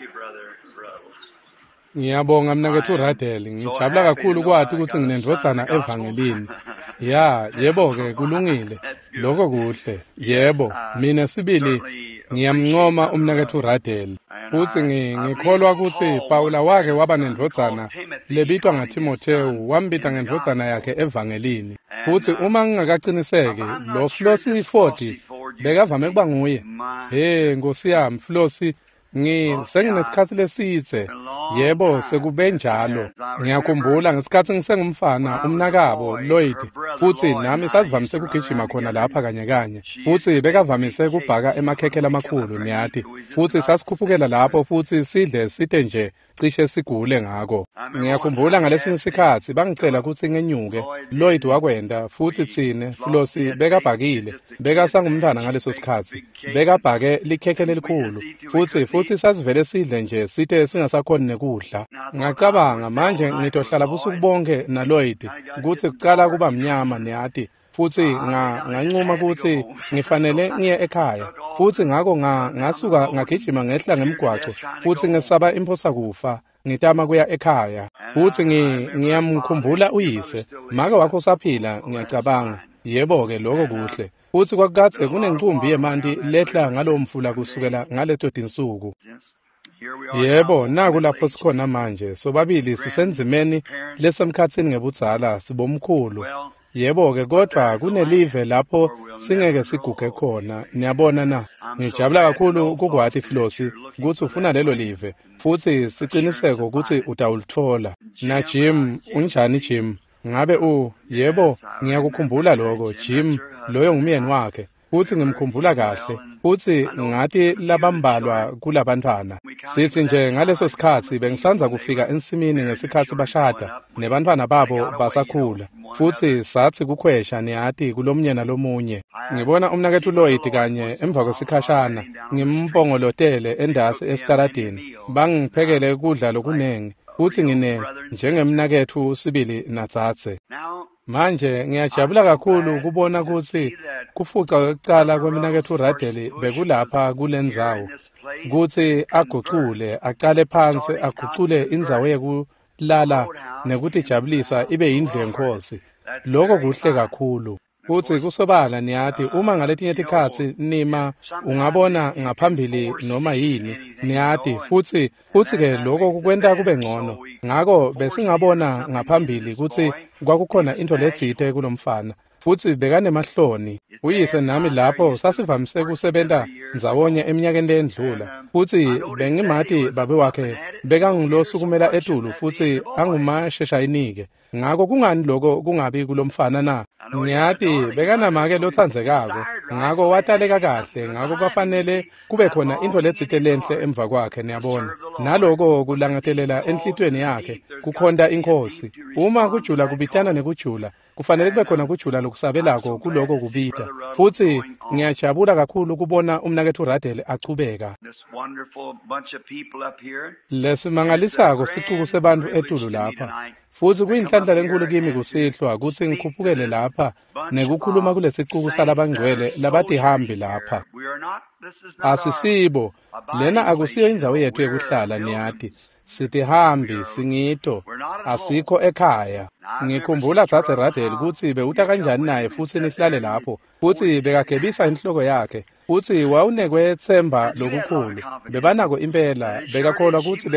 Thank you, Brother Ruddles. Ngiyabonga mnaketfu Ruddell. Ngijabula kakhulu kwati kutsi nginendvodzana evangelini. Ya, yebo-ke kulungile. Loko kuhle. Yebo, mina sibili ngiyamncoma umnaketfu Ruddell. Futsi ngikholwa kutsi Pawula wake waba nendvodzana lebitwa ngaThimothewu, wambita ngendvodzana yakhe evangelini. Futsi uma ngingakaciniseki, lo Flossie Ford bekavame kuba nguye. He, Nkosi yami, Flossie, senginesikhatsi lesidze. Yebo, sekube njalo. Ngiyakhumbula ngesikhatsi ngisengumfana, umnakabo Lloyd, futsi nami sasivamise kugijima khona lapha kanye kanye. Futsi bekavamise kubhaka emakhekhe lamakhulu, niyati. Futsi sasikhuphukela lapho futsi sidle site nje cishe sigule ngako. Ngiyakhumbula ngalesinye sikhatsi bangicela kutsi ngenyuke. Lloyd wakwenta futsi tsine Flossie bekabhakile. Bekasangumntfwana ngaleso sikhatsi. Bekabhake likhekhe lelikhulu futsi sasivele sidle nje site singasakhoni nekudla. Ngacabanga manje ngitohlala busuku bonke naLloyd kutsi kucala kuba mnyama niyati. Futsi ngancuma kutsi ngifanele ngiye ekhaya. Futsi ngako ngasuka ngagijima ngehla ngemgwaco futsi ngesaba imphosa kufa ngitama kuya ekhaya. Futsi ngiyamkhumbula uyise. Make wakho usaphila ngiyacabanga. Yebo-ke lokho kuhle. Futsi kwakukadze kunencumbi yemanti lehla ngalowo mfula kusukela ngaleto tinsuku. Yebo, naku lapho sikhona manje. Sobabili sisendzimeni lesemkhatsini ngebudzala sibomkhulu. Yebo-ke kodvwa kunelive lapho singeke siguge khona. Niyabona na? Ngijabula kakhulu kukwati Flossie kutsi ufuna lelo live futsi siciniseko kutsi utawulitfola. Na Jim, unjani Jim? Ngabe yebo, ngiyakukhumbula lokho Jim, loyo ngumyeni wakhe. Futsi ngimkhumbula kahle. Futsi ngati labambalwa kulabantfwana. Sithi nje ngaleso sikhatsi bengisandza kufika ensimini ngesikhatsi bashada nebantfwana babo basakhula. Futsi satsi kukhwesha niyati kulomnye nalomunye. Ngibona umnaketfu Lloyd kanye emva kwesikhashana ngimpongolotele endasi esitaladini. Bangiphekele kudla lokunengi futsi ngine njengemnaketfu sibili nadzadze. Manje ngiyajabula kakhulu kubona kutsi kufuca kwekucala kwemnaketfu Ruddell bekulapha kulendzawo kutsi agucule acale phansi agucule indzawo yekulala nekutijabulisa ibe yindlu yenkhosi. Lokho kuhle kakhulu. Futsi kusobala niyati uma ngaletinye tikhatsi nima ungabona ngaphambili noma yini niyati futsi-ke lokho kukwenta kube ngcono. Ngako besingabona ngaphambili kutsi kwakukhona intfo letsite kulomfana futsi bekanemahloni. Uyise nami lapho sasivamise kusebenta ndzawonye eminyakeni leyendlula futsi bengimati babe wakhe bekangulosukumela etulu futsi angumasheshayinike. Ngako kungani lokho kungabi kulomfana na? Ngiyati bekanamake lotsandzekako ngako wataleka kahle ngako kwafanele kube khona intfo letsite lenhle emva kwakhe niyabona. Naloko kulangatelela enhlitiyweni yakhe kukhonta inkhosi. Uma kujula kubitana nekujula kufanele kube khona kujula lokusabelako kuloko kubita. Futsi ngiyajabula kakhulu kubona umnaketfu Ruddell achubeka. Lesimangalisako sicuku sebantfu etulu lapha. Futsi kuyinhlanhla lenkulu kimi kusihlwa kutsi ngikhuphukele lapha nekukhuluma kulesicuku salabangcwele labatihambi lapha. Asisibo, lena akusiyo indzawo yetfu yekuhlala niyati. Sitihambi, singito, asikho ekhaya. Ngikhumbula Dzadze Ruddell kutsi bewuta kanjani naye futsi nihlale lapho. Futsi bekagebisa inhloko yakhe. Futsi wawunekwetsemba lokukhulu. Bebanako impela, bekakholwa kutsi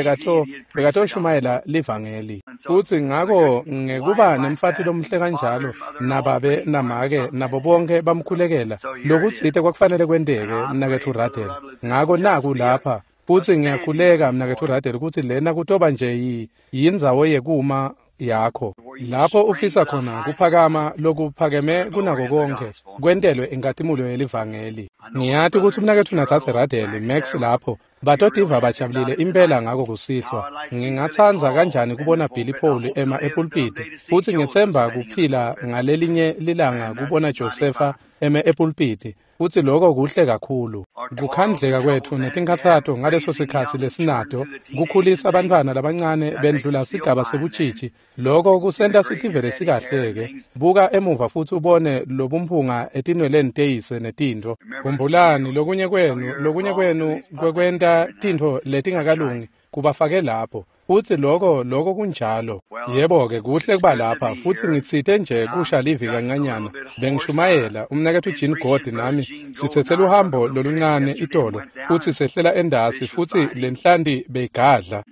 bekatoshumayela livangeli. Futsi ngako ngekuba nemfati lomuhle kanjalo, nababe namake nabo bonke bamkhulekela, lokutsite kwakufanele kwenteke mnaketfu Ruddell. Ngako naku lapha. Futsi ngiyakhuleka mnaketfu Ruddell kutsi lena kutoba nje yindzawo yekuma yakho lapho ufisa khona kuphakama lokuphakeme kunako konke kwentelwe inkatimulo yelivangeli. Ngiyati kutsi umnaketfu nadzadze Ruddell Max lapho batotiva bajabulile impela ngako kusihlwa. Ngingatsandza kanjani kubona Billy Paul ema epulpiti futsi ngitsemba kuphila ngalelinye lilanga kubona Josepha eme epulpiti. Futsi loko kuhle kakhulu. Kukhandleka kwetfu netinkhatsato ngaleso sikhatsi lesinato, kukhulisa bantfwana labancane bendlula sigaba sebutjitji, loko kusenta sitivele sikahle-ke. Buka emuva futsi ubone lobumphunga etinweleni teyise netintfo. Khumbulani, lokunye kwenu kwekwenta tintfo letingakalungi kubafake lapho. Futsi loko kunjalo. Yebo-ke, kuhle kuba lapha, futsi ngitsite nje kusha livi kancanyana. Bengishumayela, umnaketfu Gene Goad nami sitsetse luhambo loluncane itolo, futsi sehlela endasi, futsi lenhlanti beyigadla.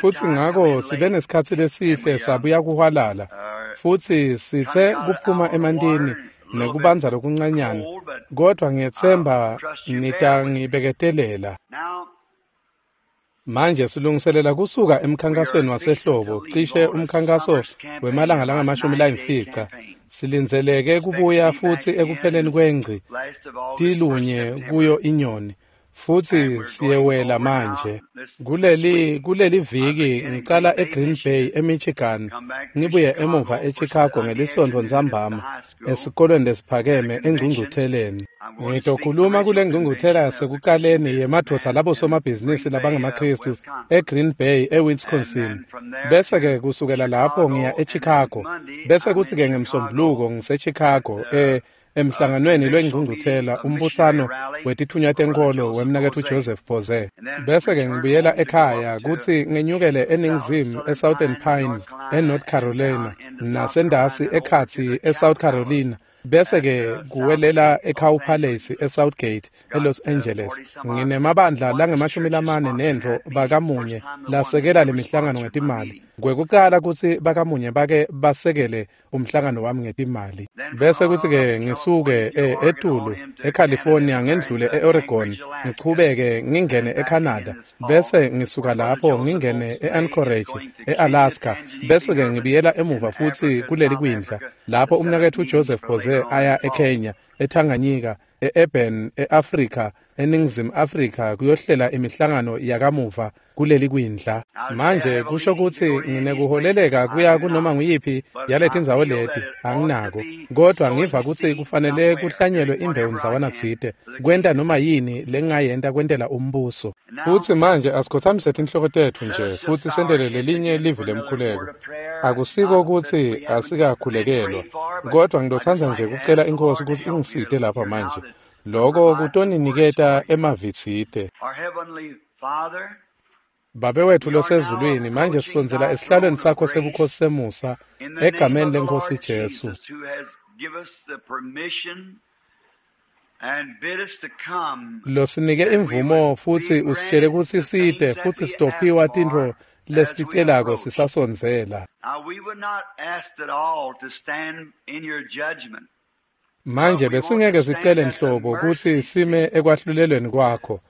Futsi ngako sibe nesikhatsi lesihle sabuya kuhwalala, futsi sitse kuphuma emantini nekubanza lokuncanyana, kodvwa ngiyetsemba nitangibeketelela. Manje silungiselela kusuka emkhankasweni wasehlobo, cishe umkhankaso wemalanga langamashumi layimfica. Silindzeleke kubuya futsi ekupheleni kwengci tilunye kuyo inyoni, futsi siyewela manje. Kuleli viki ngicala eGreen Bay eMichigan, ngibuye emuva eChicago ngelisontfo ntsambama esikolweni lesiphakeme engcungcutheleni. Ngitokhuluma kule ngcungcuthela yasekucaleni yemadvodza labosomabhizinisi labangemaKhristu eGreen Bay eWisconsin. Bese-ke kusukela lapho ngiya eChicago. Bese kuthi-ke ngeMsombuluko ngiseChicago emhlanganweni lwengcungcuthela umbutsano wetitfunywa tenkholo wemnaketfu Joseph Boze. Bese-ke ngibuyela ekhaya kutsi ngenyukele eNingizimu eSouthern Pines eNorth Carolina nasendasi ekhatsi eSouth Carolina. Bese-ke kuwelela eCow Palace eSouthgate eLos Angeles. Nginemabandla langamashumi lamane nentfo bakamunye lasekela lemihlangano ngetimali. Kwekucala kutsi bakamunye bake basekele umhlangano wami ngetimali. Bese kuthi-ke ngisuke etulu eCalifornia ngendlule e-Oregon, ngichubeke ngingene eCanada, bese ngisuka lapho ngingene e-Anchorage e-Alaska, bese-ke ngibuyela emuva futsi kuleli kwindla lapho umnaketfu Joseph Boze aya eKenya, eTanganyika, e-Eben, e-Afrika, eNingizimu Afrika kuyohlela imihlangano yakamuva kuleli kwindla. Manje kusho kutsi nginekuholeleka kuya kunoma nguyiphi yaletindzawo leti, anginako. Kodvwa ngiva kutsi kufanele kuhlanyelwe imbewu ndzawana tsite, kwenta noma yini lengingayenta kwentela umbuso. Futsi manje asikhotsamise tinhloko tetfu nje futsi sentele lelinye livi lemkhuleko. Akusiko kutsi asikakhulekelwa, kodvwa ngitotsandza nje kucela iNkhosi kutsi ingisite lapha manje. Loko kutoniniketa emavi tsite. Our Heavenly Father, Babe wetfu losezulwini, manje sisondzela esihlalweni sakho sebukhosi semusa in the name egameni of the leNkhosi Lord Jesu. Jesus, who has given us the permission and bid us to come, Losinike imvumo futsi usitshele kutsi site futsi sitophiwa tintfo lesiticelako sisasondzela. Now we would not ask at all to stand in your judgment. Manje besingeke sicele nhlobo kutsi sime ekwahlulelweni kwakho,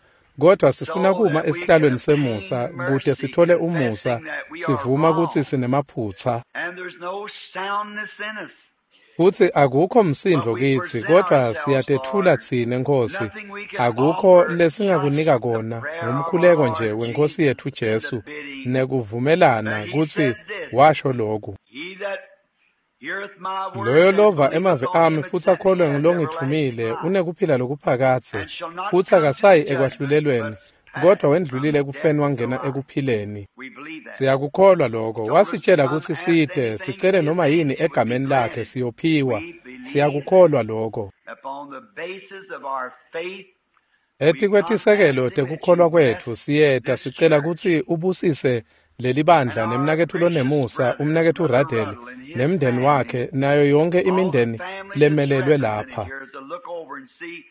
kodvwa sifuna kuma esihlalweni semusa kute sitfole umusa, sivuma kutsi sinemaphutsa. And there's no soundness in us. Futsi akukho msindvo kitsi, kodvwa siyatetfula tsine Nkhosi. Akukho lesingakunika kona ngumkhuleko nje weNkhosi yetfu Jesu nekuvumelana kutsi washo loku. He that heareth my words Loyo and lova believeth emavi on ami him futsi that sent me akholwe hath ngulongitfumile everlasting life, unekuphila lokuphakadze, and shall not futsi come to the akasayi judgment, ekwahlulelweni, but kodvwa passed wendlulile from ekufeni death to wangena life. ekuphileni. We believe that. Siyakukholwa lokho. Told us Wasitshela come kutsi ask site, anything sicele in his noma name, yini it would be egameni lakhe granted. siyophiwa. We believe that. Siyakukholwa lokho. Upon the basis of our faith, we come Etikwetisekelo asking that you tekukholwa bless kwetfu siyeta this sicela church kutsi ubusise leli bandla and our nemnaketfu gracious lonemusa brother, umnaketfu Brother Radel Ruddell, and his nemndeni family, wakhe nayo yonke all the imindeni families that's lemelelwe represented lapha. here, as I look over and see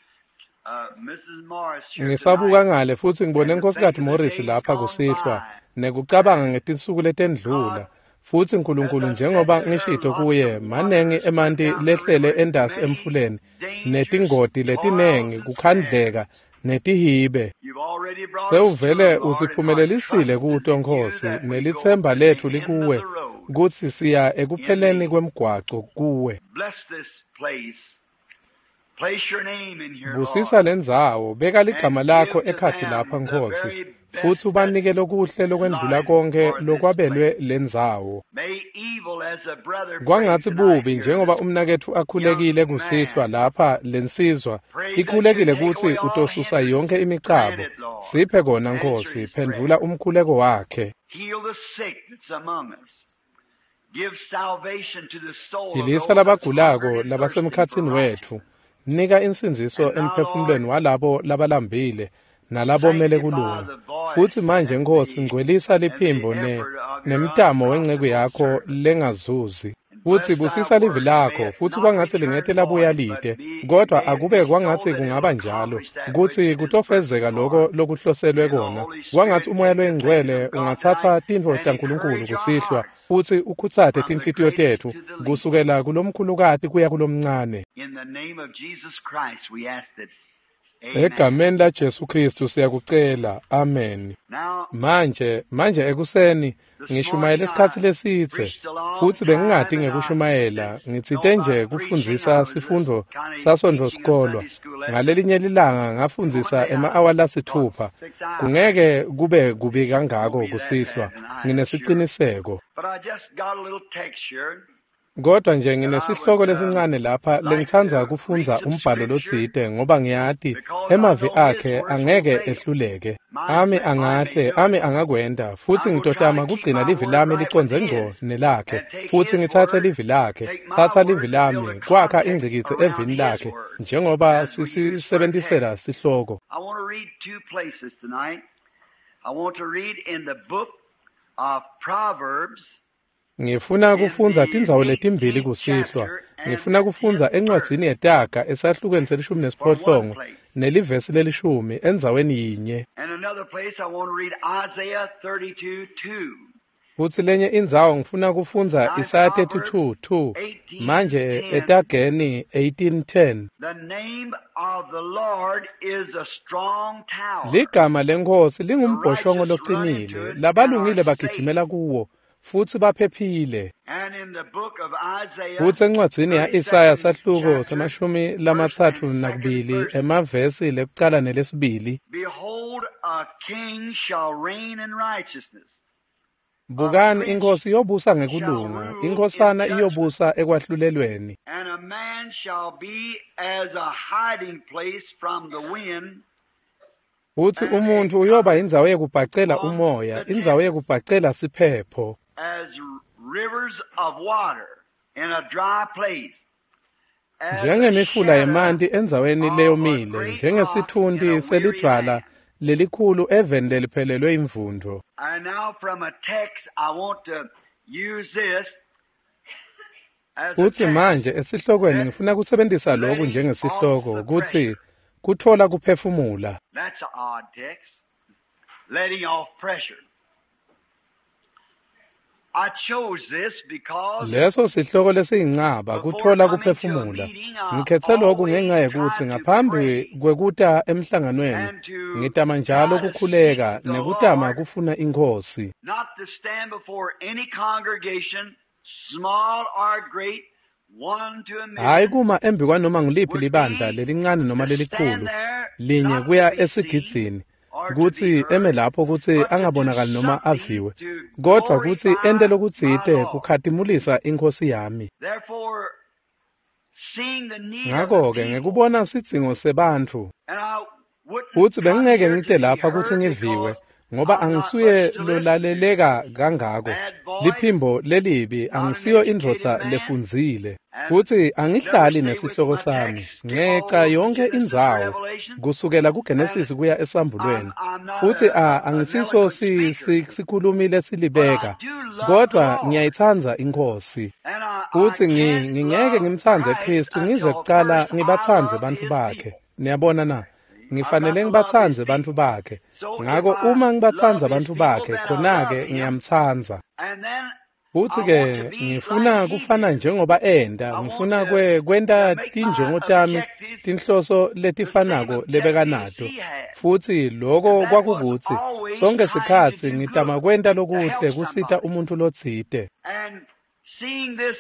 Mrs. Morris here Ngisabuka tonight, ngale futsi ngibone and to think Nkhosikati of the Morris days lapha gone kusihlwa by. nekucabanga That ngetinsuku letendlula. God, Futsi as Nkulunkulu I said njengoba to her, ngishito lots kuye, of manengi waters went emanti down the lehlele river, endasi many emfuleni, dangers, netingoti toils, letinengi, and snares. kukhandleka, netihibe. You've already brought us to Sewuvele them, Lord, and are usiphumelelisile trusting kuto in you Nkhosi, that we go nelitsemba to the letfu end of likuwe the road kutsi siya in ekupheleni thee. kwemgwaco kuwe. Bless this place. Place your name in here, Busisa Lord, lendzawo, beka ligama and lakho give to ekhatsi lapha them the Nkhosi, very futsi ubanike lokuhle lokwendlula konkhe lokwabelwe lendzawo. Kwangatsi bubi njengoba umnaketfu akhulekile kusihlwa lapha lensizwa ikhulekile kutsi utosusa yonkhe imicabo. Siphe kona Nkhosi, phendvula umkhuleko wakhe. Philisa labagulako labasemkhatsini wetfu. Nika insindziso emphefumulweni walabo labalambile nalabomele kulunga. Futsi manje Nkhosi, ngcwelisa liphimbo nemtamo wenceku yakho lengazuzi. Futsi busisa livi lakho, futsi kwangatsi lingete labuya lide, kodwa akube kwangatsi kungaba njalo, kutsi kutofezeka loko lokuhloselwe kona. Kwangatsi uMoya loyiNgcwele ungatsatsa tintfo taNkulunkulu kusihlwa, futsi ukhutsate tinhlitiyo tetfu, kusukela kulomkhulukati kuya kulomncane. Egameni laJesu Kristu siyakucela. Amen. Manje ekuseni ngishumayele isikhatsi lesidze, futsi bengingati ngekushumayela, ngitsite nje kufundzisa sifundvo saSontfo sikolwa. Ngalelinye lilanga ngafundzisa ema-awa lasitfupha. Kungeke kube kubi kangako kusihlwa, nginesiciniseko. Kodwa nje nginesihloko lesincane lapha lengitsandza kufundza umbhalo lotsite, ngoba ngiyati emavi akhe angeke ehluleke. Ami angahle, ami angakwenta, futsi ngitotama kugcina livi lami licondze ngco nelakhe, futsi ngitsatse livi lakhe, tsatsa livi lami, kwakha ingcikitsi evini lakhe, njengoba sisisebentisela sihloko. I want to read two places tonight. I want to read in the book of Proverbs. Ngifuna kufundza tindzawo letimbili kusihlwa. Ngifuna kufundza encwadzini yeTaga esahlukweni se-18 nelivesi lelishumi endzaweni yinye. And another place I want to read Isaiah 32:2. Futsi lenye indzawo ngifuna kufundza Isaya 32:2. Manje eTageni 18:10. The name of the Lord is a strong tower. Ligama leNkhosi lingumbhoshongo locinile, labalungile bagijimela kuwo, futsi baphephile. And in the book of Isaiah, Futsi encwadzini ya-Isaya sahluko se-32 emavesi lekucala nelesibili. Behold, a king shall reign in righteousness. Bukani, inkhosi iyobusa ngekulunga, inkhosana iyobusa ekwahlulelweni. And a man shall be as a hiding place from the wind, Futsi umuntfu uyoba indzawo yekubhacela umoya, indzawo yekubhacela siphepho. as rivers of water in a dry place. As a Njengemifula shadow yemanti endzaweni of a leyomile, great rock in njengesitfunti a weary selidvwala land. lelikhulu eveni leliphelelwe imvundvo. And now from a text, I want to use this as a Futsi text. manje esihlokweni ngifuna kusebentisa loku njengesihloko kutsi kutfola kuphefumula. That's an odd text. Letting off pressure. I chose this because Leso sihloko lesiyincaba kutfola kuphefumula. Ngikhetse loku ngenxa yekutsi ngaphambi kwekuta emhlanganweni ngitama njalo kukhuleka nekutama kufuna iNkhosi. not to stand before any congregation, small or great, one to a Hhayi million, kuma embi kwanoma ngiliphi libandla lelincane noma lelikhulu, linye kuya esigidzini, kutsi eme lapho kutsi angabonakali noma aviwe, kodvwa kutsi ente lokutsite kukhatimulisa iNkhosi yami. Therefore, seeing the need of the Ngako-ke people, ngekubona sidzingo sebantfu, and I wouldn't futsi come bengingeke here ngite to be lapha kutsi heard ngiviwe, because ngoba I'm not angisuye much to listen to. lolaleleka kangako. Bad voice, Liphimbo lelibi, not an angisiyo educated indvodza man, lefundzile. and Futsi never angihlali stay with nesihloko my sami, text, skip all ngeca over yonke Genesis to indzawo, Revelation, kusukela and kuGenesis kuya esambulweni. I'm not Futsi an angisiso eloquent speaker, sikhulumi but I lesilibeka, do love the kodvwa Lord. ngiyayitsandza iNkhosi. And I Futsi can't ngingeke love ngimtsandze Christ Kristu ngize until kucala first I ngibatsandze love bantfu his bakhe. people. Niyabona na? I've got Ngifanele to love his ngibatsandze bantfu people. bakhe. So if Ngako I uma ngibatsandza love his bantfu people, bakhe, then I khona-ke love him. ngiyamtsandza. And then Futsi I ke want to be ngifuna like he kufana did. njengoba enta, I want ngifuna to kwenta make my tinjongo tami objectives tinhloso the same letifanako objectives lebekanato. he had. Futsi loko And that was kwakukutsi always sonke trying to sikhatsi do ngitama good, kwenta to lokuhle help kusita somebody. umuntfu lotsite. And seeing this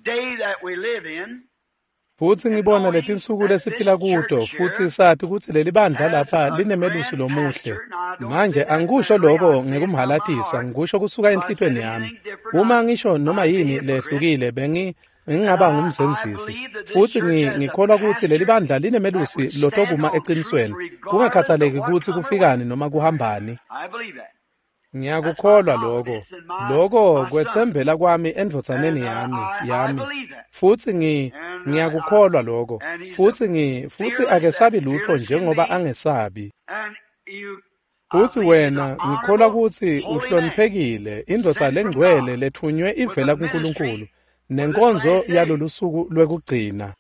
day that we live in, Futsi ngibona letinsuku lesiphila kuto, futsi sathi kutsi leli bandla lapha linemelusi lomuhle. Manje angikusho lokho ngekumhalatisa, ngikusho kusuka enhlitiyweni yami. Uma ngisho noma yini lehlukile bengingaba ngumzenzisi. Futsi ngikholwa kutsi leli bandla linemelusi lotokuma eqinisweni, kungakhathaleki kutsi kufikani noma kuhambani. Ngiyakukholwa lokho. Lokho kwetsembela kwami endvodzaneni yami. Futsi ngiyakukholwa lokho. Futsi futsi akesabi lutho njengoba angesabi. Futsi wena ngikholwa kutsi uhloniphekile, indvodza lengcwele lethunywe ivela kuNkulunkulu, nenkonzo yalolu suku lwekugcina.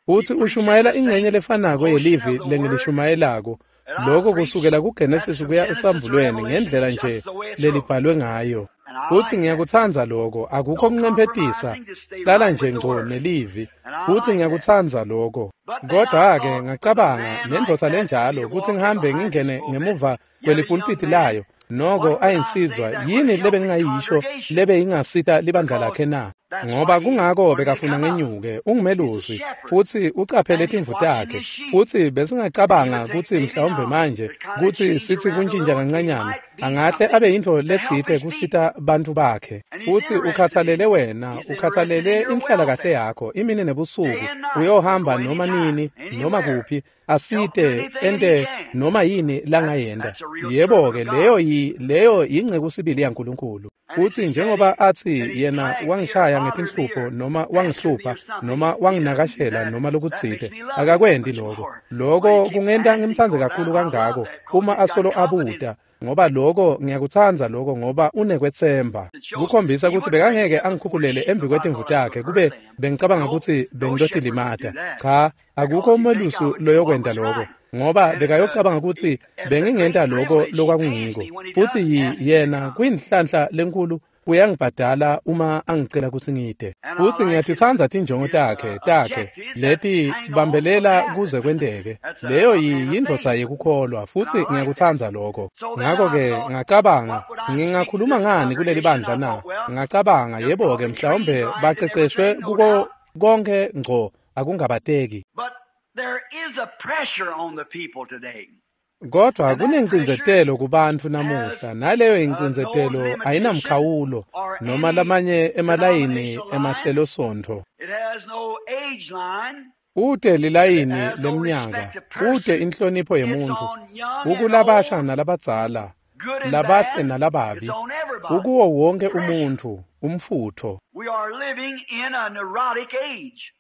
Futsi ushumayela ingcenye lefanako yelivi lengilishumayelako. Lokho kusukela kuGenesis kuya esambulweni ngendlela nje lelibhalwe ngayo. Futsi ngiyakutsandza lokho, akukho kuncemphetisa, hlala nje ngco nelivi. Futsi ngiyakutsandza lokho. Kodwa-ke ngacabanga nendvodza lenjalo kutsi ngihambe ngingene ngemuva kwelipulpiti layo, noko ayinsizwa yini lebengingayisho lebe ingasita libandla lakhe na? Ngoba kungako bekafuna ngenyuke, ungumelusi, futsi ucaphele timvu takhe. Futsi besingacabanga kutsi mhlawumbe manje kutsi sithi kuntjintja kancanyana, angahle abe yintfo letsite kusita bantfu bakhe. Futsi ukhathalele wena, ukhathalele inhlalakahle yakho imini nebusuku, uyohamba noma nini, noma kuphi, asite ente noma yini langayenta. Yebo-ke, leyo yingceku sibili yaNkulunkulu. Futsi njengoba atsi yena wangishaya ngetinhlupho noma wangihlupha noma wanginakashela noma lokutsite, akakwenti lokho. Lokho kungenta ngimtsandze kakhulu kangako uma asolo abuta, ngoba lokho ngiyakutsandza lokho ngoba unekwetsemba. Kukhombisa kutsi bekangeke angikhukhulele embi kwetimvu takhe kube bengicabanga kutsi bengitotilimata. Cha, akukho umelusi loyokwenta lokho, ngoba bekayocabanga kutsi bengingenta lokho lokwakungiko. Futsi yena kuyinhlanhla lenkulu uyangibhadala uma angicela kutsi ngide. Futsi ngiyatitsandza tinjongo takhe leti bambelela kuze kwenteke. Leyo yindvodza yekukholwa, futsi ngiyakutsandza lokho. Ngakho-ke ngacabanga, ngingakhuluma ngani kuleli bandla na? Ngacabanga, yebo-ke mhlawumbe baceceshwe kuko konke ngco, akungabateki. Kodwa kunencindzetelo kubantfu namuhla, naleyo incindzetelo ayinamkhawulo noma lamanye emalayini emahlelosonto. Ute lilayini lemnyaka, ute inhlonipho yemuntfu, ukulabasha nalabadzala, labahle nalababi, ukuwo wonke umuntfu, umfutho.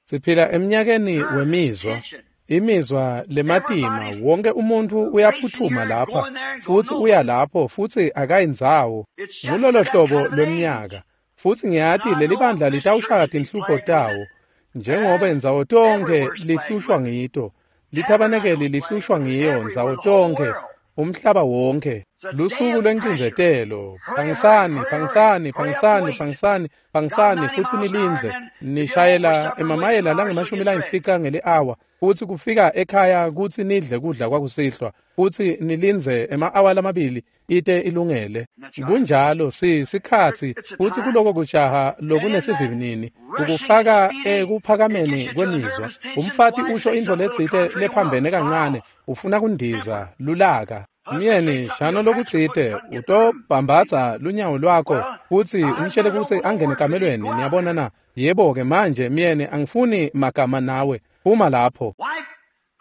Siphila emnyakeni wemizwa. Imizwa lematima, wonke umuntu uyaphuthuma lapha, futsi uya lapho, futsi akayindzawo. Ngulolo hlobo lweminyaka. Futsi ngiyati leli bandla litawushaya tinhlupho tawo, njengoba ndzawo tonkhe lihlushwa ngito. Lithabanekeli lihlushwa ngiyo ndzawo tonkhe, umhlaba wonke. Lusuku lwencindzetelo, phangisani, phangisani, phangisani, phangisani, phangisani, futsi nilindze. Nishayela emamayela lange-50 ngeli-awa, futsi kufika ekhaya kutsi nidle kudla kwakusihlwa, futsi nilindze ema-awa lamabili ite ilungele. Kunjalo sikhatsi, futsi kuloko kujaha lokunesivinini, kukufaka ekuphakameni kwemizwa. Umfati usho intfo letsite lephambene kancane, ufuna kundiza, lulaka. Myeni, shano lokutsite, utobhambatsa lunyawo lwakho futsi umtshele kutsi angene ekamelweni. Niyabona na? Yebo-ke manje myeni, angifuni magama nawe. Phuma lapho.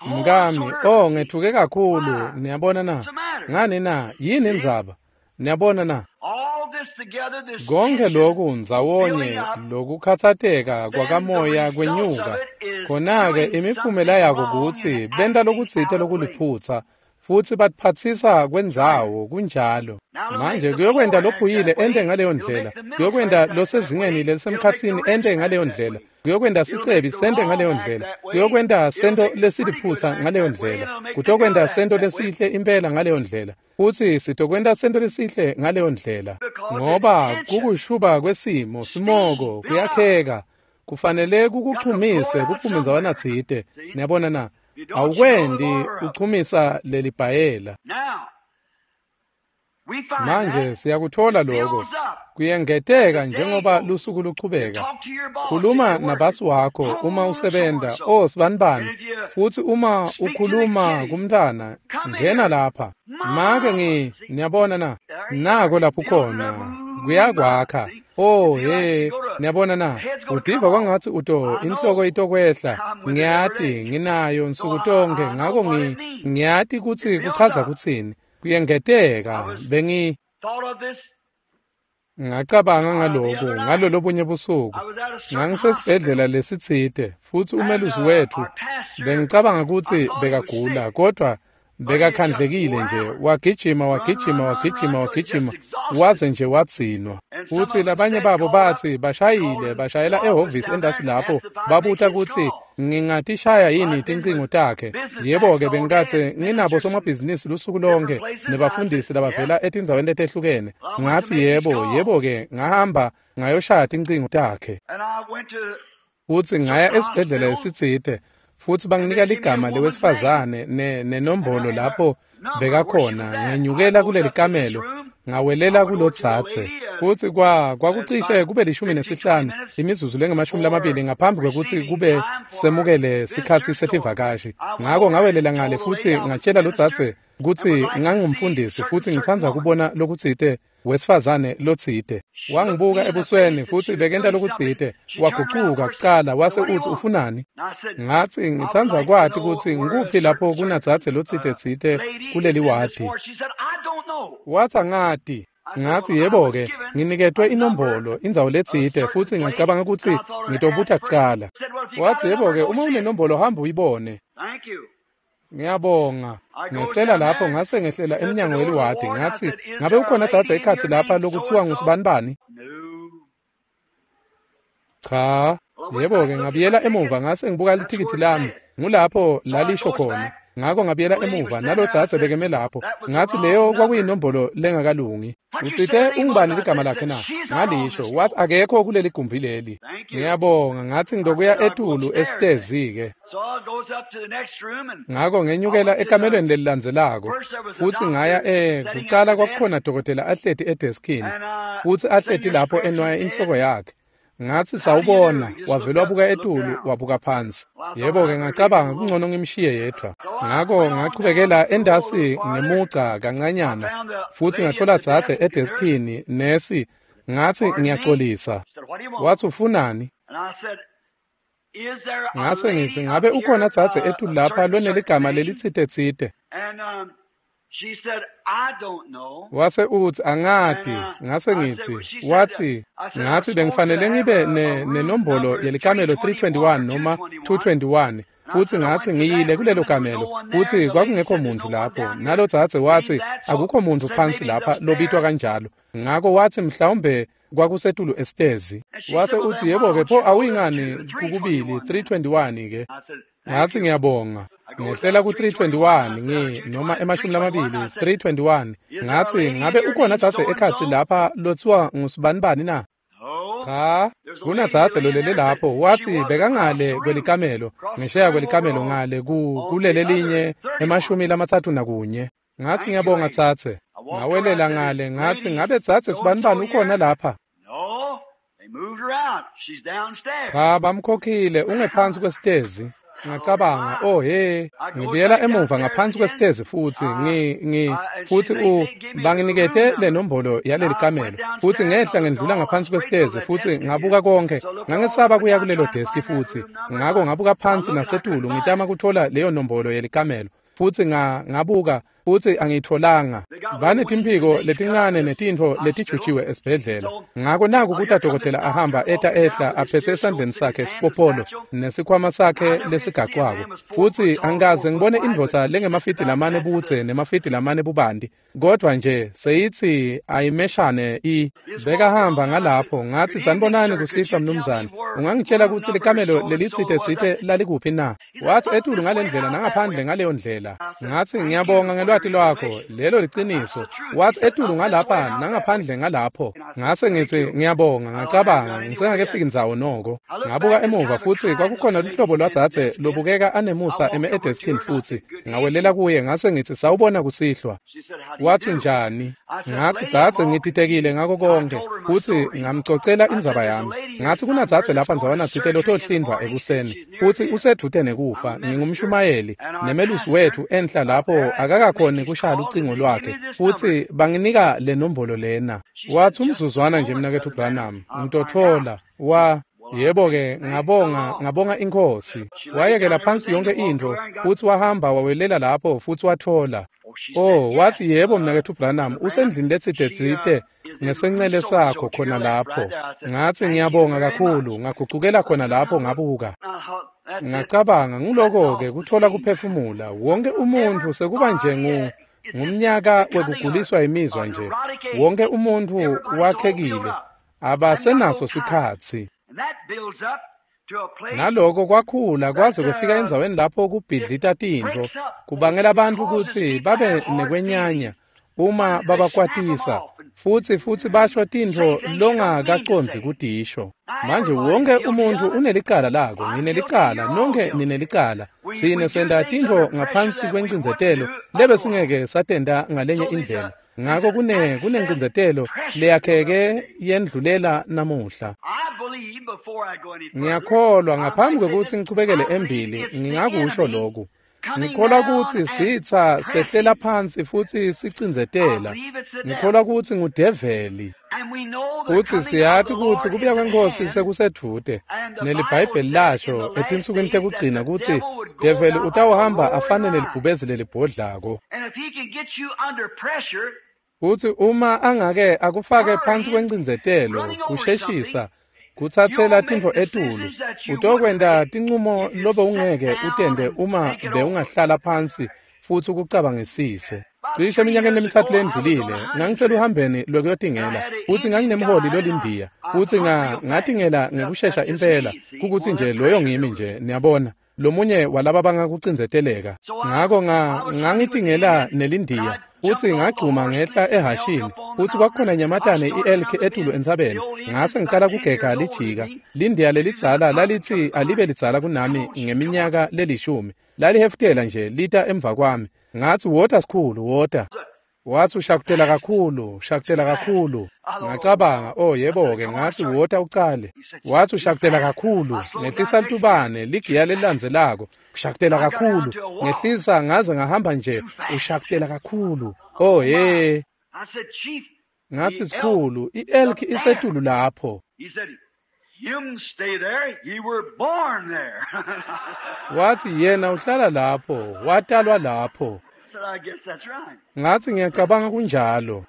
Mkami, oh ngethuke kakhulu. Niyabona na? Ngani na? Yini indzaba? Niyabona na? Konke lokhu ndzawonye lokukhatsateka kwakamoya kwenyuka. Khona-ke imiphumela yako kutsi benta lokutsite lokuliphutsa, futsi batiphatsisa kwendzawo kunjalo. Manje kuyokwenta lophuyile ente ngaleyo ndlela, kuyokwenta losezingeni lelisemkhatsini ente ngaleyo ndlela, kuyokwenta sicebi sente ngaleyo ndlela, kuyokwenta sento lesiliphutsa ngaleyo ndlela, kutokwenta sento lesihle impela ngaleyo ndlela, futsi sitokwenta sento lesihle ngaleyo ndlela. Ngoba kukushuba kwesimo, simoko kuyakheka, kufanele kukuchumise kuphume ndzawana tsite. Niyabona na? Awukwendi uchumisa lelibhayela. Manje siyakuthola lokho kuyengeteka njengoba lusuku luchubeka. Khuluma nabasi wakho uma usebenta, oh sibanibani, futhi uma ukhuluma kumntana, ngena lapha. Make niyabona na? Nako lapho khona kuyakwakha. Oh hey, niyabona na? Udiva kwangathi uto inhloko itokwehla. Ngiyati nginayo nsuku tonke, ngako ngiyati kutsi kuchaza kutsini. Kuyengeteka ngacabanga ngalokhu ngalolobunye busuku. Ngangisesibhedlela lesitsite futsi umelusi wethu bengicabanga kutsi bekagula, kodwa bekakhandlekile nje, wagijima wagijima wagijima wagijima waze nje wadzinwa. Futsi labanye babo batsi bashayile bashayela ehhovisi endasi lapho babuta kutsi ngingatishaya yini tincingo takhe. Yebo-ke bengikatse nginabo somabhizinisi lusuku lonke nebafundisi labavela etindzaweni letehlukene. Ngatsi yebo, yebo-ke ngahamba ngayoshaya tincingo takhe. Futsi ngaya esibhedlela lesitsite futsi banginika ligama lewesifazane nenombolo lapho bekakhona. Ngenyukela kuleli kamelo ngawelela kulodzadze futsi kwakucishe kube 15 imizuzu lengamashumi ngaphambi kwekutsi kube semukele sikhatsi setivakashi. Ngako ngawelela ngale futsi ngatshela lodzadze kutsi ngangumfundisi futsi ngitsandza kubona lokutsite wesifazane lotsite. Wangibuka ebusweni futsi bekenta lokutsite, wagucuka kucala wase utsi ufunani? Ngatsi ngitsandza kwati kutsi ngikuphi lapho kunadzadze lotsite tsite kuleli wadi. Watsi angati. Ngatsi yebo-ke nginiketwe inombolo indzawo letsite futsi ngacabanga kutsi ngitobuta kucala. Watsi yebo-ke uma unenombolo hamba uyibone. Ngiyabonga. Ngehlela lapho ngase ngehlela emnyango weliwadi. Ngatsi ngabe ukhona dzadze ekhatsi lapha lokutsiwa ngusibanibani? Cha. Yebo-ke ngabuyela emuva ngase ngibuka lithikithi lami. Ngulapho lalisho khona. Ngako ngabuyela emuva nalodzadze bekeme lapho. Ngatsi leyo kwakuyinombolo lengakalungi. Utsite ungubani ligama lakhe na? Ngalisho. Wathi akekho kuleli gumbi leli. Ngiyabonga. Ngatsi ngidokuya etulu esitezi-ke. Ngako ngenyukela ekamelweni lelilandzelako futsi ngaya kucala kwakukhona dokotela ahleti edeskini futsi ahleti lapho enwaya inhloko yakhe. Ngatsi sawubona, wavele wabuka etulu wabuka phansi. Yebo-ke ngacabanga kungcono ngimshiye yedvwa. Ngako ngachubekela endasi ngemuca kancanyana futsi ngathola dzadze edeskini nesi. Ngatsi ngiyaxolisa. Watsi ufunani? Ngase ngitsi ngabe ukhona dzadze etulu lapha loneligama lelitsite-tsite? Wase utsi angati. Ngase ngitsi watsi ngatsi bengifanele ngibe nenombolo yelikamelo 321 noma 221 futsi ngatsi ngiyile kulelo kamelo futsi kwakungekho muntu lapho. Nalodzadze watsi akukho muntu phansi lapha lobitwa kanjalo. Ngako watsi mhlawumbe kwakusetulu esitezi. Wase utsi yebo-ke pho awuyingani kukubili 321 ke. Ngatsi ngiyabonga. Ngehlela ku-321 noma 20 321. Ngatsi ngabe ukhona dzadze ekhatsi lapha lotsiwa ngusibanibani na? Cha, kunadzadze lolele lapho. Watsi bekangale kwelikamelo, ngesheya kwelikamelo ngale kulele linye 31. Ngatsi ngiyabonga dzadze. Ngawelela ngale ngatsi ngabe dzadze sibanibani ukhona lapha? Cha, bamkhokhile ungephansi kwesitezi. Ngacabanga, oh he, ngibuyela emuva ngaphansi kwesitezi futsi futsi banginikete le nombolo yaleli kamelo futsi ngehla ngendlula ngaphansi kwesitezi futsi ngabuka konke. Ngangesaba kuya kulelo deski futsi ngako ngabuka phansi nasetulu ngitama kuthola leyo nombolo yelikamelo futsi ngabuka futsi angiyitholanga. Banetimphiko letincane netintfo letijutshiwe esibhedlela. Ngako naku kuta dokotela ahamba eta ehla aphethe esandleni sakhe sipopolo nesikhwama sakhe lesigacwako. Futsi angikaze ngibone indvodza lengemafidi lamane budze nemafidi lamane bubanti, kodvwa nje seyitsi ayimeshane bekahamba ngalapho. Ngatsi sanibonani kusihlwa mnumzane, ungangitshela kutsi likamelo lelitsite-tsite lalikuphi na? Watsi etulu ngalendlela nangaphandle ngaleyo ndlela. Ngatsi ngiyabonga ngelwati lwakho, lelo liciniso. Watsi etulu ngalapha nangaphandle ngalapho. Ngase ngitsi ngiyabonga. Ngacabanga ngisengakefiki ndzawo noko. Ngabuka emuva futsi kwakukhona luhlobo lwadzadze lobukeka anemusa eme edeskini futsi ngawelela kuye ngase ngitsi sawubona kusihlwa. Watsi njani? Ngatsi, dzadze, ngititekile ngako konke. Futsi ngamcocela indzaba yami. Ngatsi kunadzadze lapha ndzawanatsite lotohlindvwa ekuseni, futsi usedvute nekufa. Ngingumshumayeli, nemelusi wetfu enhla lapho akakakhoni kushaya lucingo lwakhe, futsi banginika le nombolo lena. Watsi, umzuzwana nje, mnaketfu Branham, ngitotfola. Yebo-ke, ngabonga iNkhosi. Wayekela phansi yonke intfo, futsi wahamba wawelela lapho futsi watfola. Oh, watsi, yebo, mnaketfu Branham, usendlini letsite ngesencele sakho khona lapho. Ngatsi, ngiyabonga kakhulu. Ngagucukela khona lapho ngabuka. Ngacabanga, nguloko-ke kutfola kuphefumula. Wonke umuntfu sekuba nje ngumnyaka wekuguliswa imizwa nje. Wonke umuntfu wakhekile, abasenaso sikhatsi. Naloko kwakhula kwaze kufika endzaweni lapho kubhidlita tintfo, kubangela bantfu kutsi babe nekwenyanya uma babakwatisa, futsi basho tintfo longakacondzi kutisho. Manje wonke umuntfu unelicala lako, nginelicala, nonke ninelicala. Sine senta tintfo ngaphansi kwencindzetelo lebe singeke satenta ngalenye indlela. Ngako kunencindzetelo leyakheke yendlulela namuhla. Ngiyakholwa, ngaphambi kwekutsi ngichubekele embili, ngingakusho lokhu. Ngikholwa kutsi sitsa sehlela phansi futsi sicindzetela. Ngikholwa kutsi ngudeveli. Futsi siyati kutsi kubuya kweNkhosi sekusedvute. NeliBhayibheli lasho etinsukwini tekugcina kutsi develi utawuhamba afane nelibhubezi lelibhodlako. Futsi uma angake akufake phansi kwencindzetelo, kusheshisa, kutsatsela tintfo etulu, utokwenta tincumo lobe ungeke utente uma bewungahlala phansi futsi ukucabangisise. Cishe eminyakeni lemithathu lendlulile, ngangiseluhambeni lwekuyotingela, futsi nganginemholi lolindiya, futsi ngatingela ngekushesha impela, kukutsi nje loyo ngimi nje, niyabona, lomunye walaba bangakucindzeteleka. Ngako ngangitingela nelindiya, futsi ngagcuma ngehla ehashini, futsi kwakukhona inyamatane i-elk etulu entsabeni. Ngase ngicala kugega lijika. Lindiya lelidzala lalitsi alibe lidzala kunami ngeminyaka lelishumi. Lalihefutela nje lita emva kwami. Ngatsi, wota sikhulu, wota. Watsi, ushakutela kakhulu, ushakutela kakhulu. Ngacabanga, oh yebo-ke, ngatsi wota ucale. Watsi, ushakutela kakhulu, ngehlisa litubane, ligiya lelilandzelako. Ushakutela kakhulu, ngehlisa ngaze ngahamba nje, ushakutela kakhulu. Oh ye. Ngatsi, sikhulu, i-elk isetulu lapho. Watsi, yena uhlala lapho, watalwa lapho. Ngatsi, ngiyacabanga kunjalo.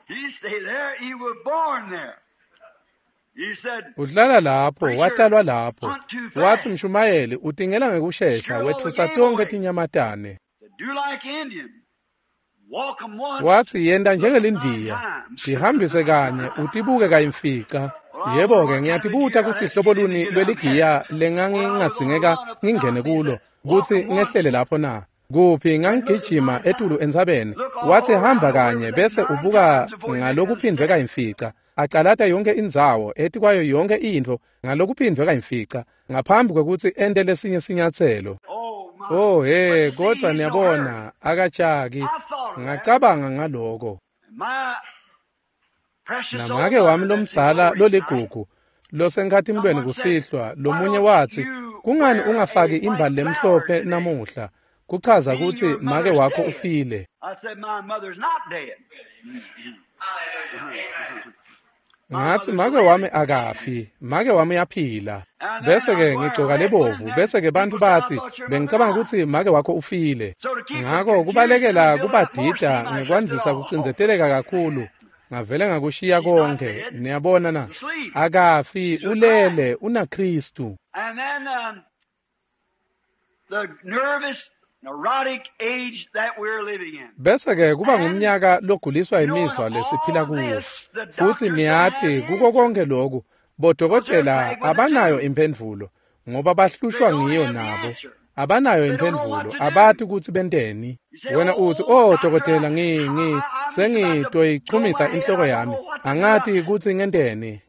Uhlala lapho, watalwa lapho. Watsi, mshumayeli, utingela ngekushesha, wetfusa tonkhe tinyamatane. Watsi, yenta njengelindiya, tihambise kanye, utibuke kayimfica. Yebo-ke, ngiyatibuta kutsi hlobo luni lweligiya lengangingadzingeka ngingene kulo, kutsi ngehlele lapho na. Kuphi ngangigijima etulu entsabeni. Watsi, hamba kanye bese ubuka ngalokuphindvwe kayimfica. Acalata yonke indzawo, etikwayo yonke intfo ngalokuphindvwe kayimfica, ngaphambi kwekutsi ente lesinye sinyatselo. Oh he, kodvwa niyabona, akajaki. Ngacabanga ngaloko. Namake wami lomdzala loligugu losenkhatimulweni kusihlwa, lomunye watsi, kungani ungafaki imbali lemhlophe namuhla? Kuchaza kutsi make wakho ufile. Ngatsi, make wami akafi, make wami uyaphila. Bese-ke ngigcoka lebovu, bese-ke bantfu batsi, bengicabanga kutsi make wakho ufile. Ngako kubalekela kubadida ngekwandzisa kucindzeteleka kakhulu. Ngavele ngakushiya konke, niyabona na? Akafi, ulele, unaKhristu. Bese-ke kuba ngumnyaka loguliswa imizwa lesiphila kuwo. Futsi niyati kuko konke loku, bodokotela abanayo imphendvulo, ngoba bahlushwa ngiyo nabo. Abanayo imphendvulo, abati kutsi benteni. Wena utsi, oh dokotela, Sengitoyichumisa inhloko yami. Angati kutsi ngenteni.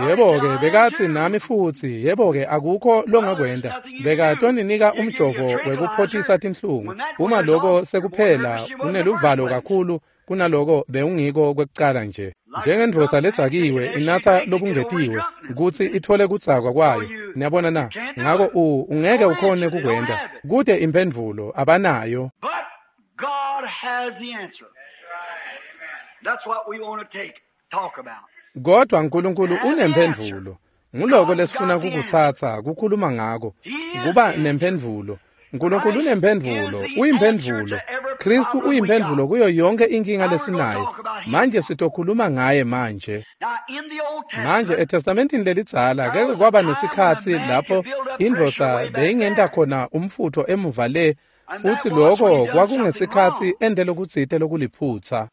Yebo-ke bekatsi nami futsi, yebo-ke akukho longakwenta. Bekatoninika umjovo wekuphothisa tinhlungu. Uma lokho sekuphela, uneluvalo kakhulu kunaloko bewungiko kwekucala nje. Njengendvodza ledzakiwe inatsa lokungetiwe kutsi itfole kudzakwa kwayo. Niyabona na? Ngako ungeke ukhone kukwenta. Kute imphendvulo abanayo. But God has the answer. That's what we want to talk about. Kodwa uNkulunkulu unemphendvulo. Nguloko lesifuna kukutsatsa kukhuluma ngako. Kuba nemphendvulo. uNkulunkulu unemphendvulo, uyimphendvulo. Kristu uyimphendvulo kuyo yonke inkinga lesinayo. Manje sitokhuluma ngaye manje. Manje eTestamentini lelidzala keke kwaba nesikhatsi lapho indvodza beyingenta khona umfutho emuva le, futsi lokho kwakungesikhatsi ente lokutsite lokuliphutsa.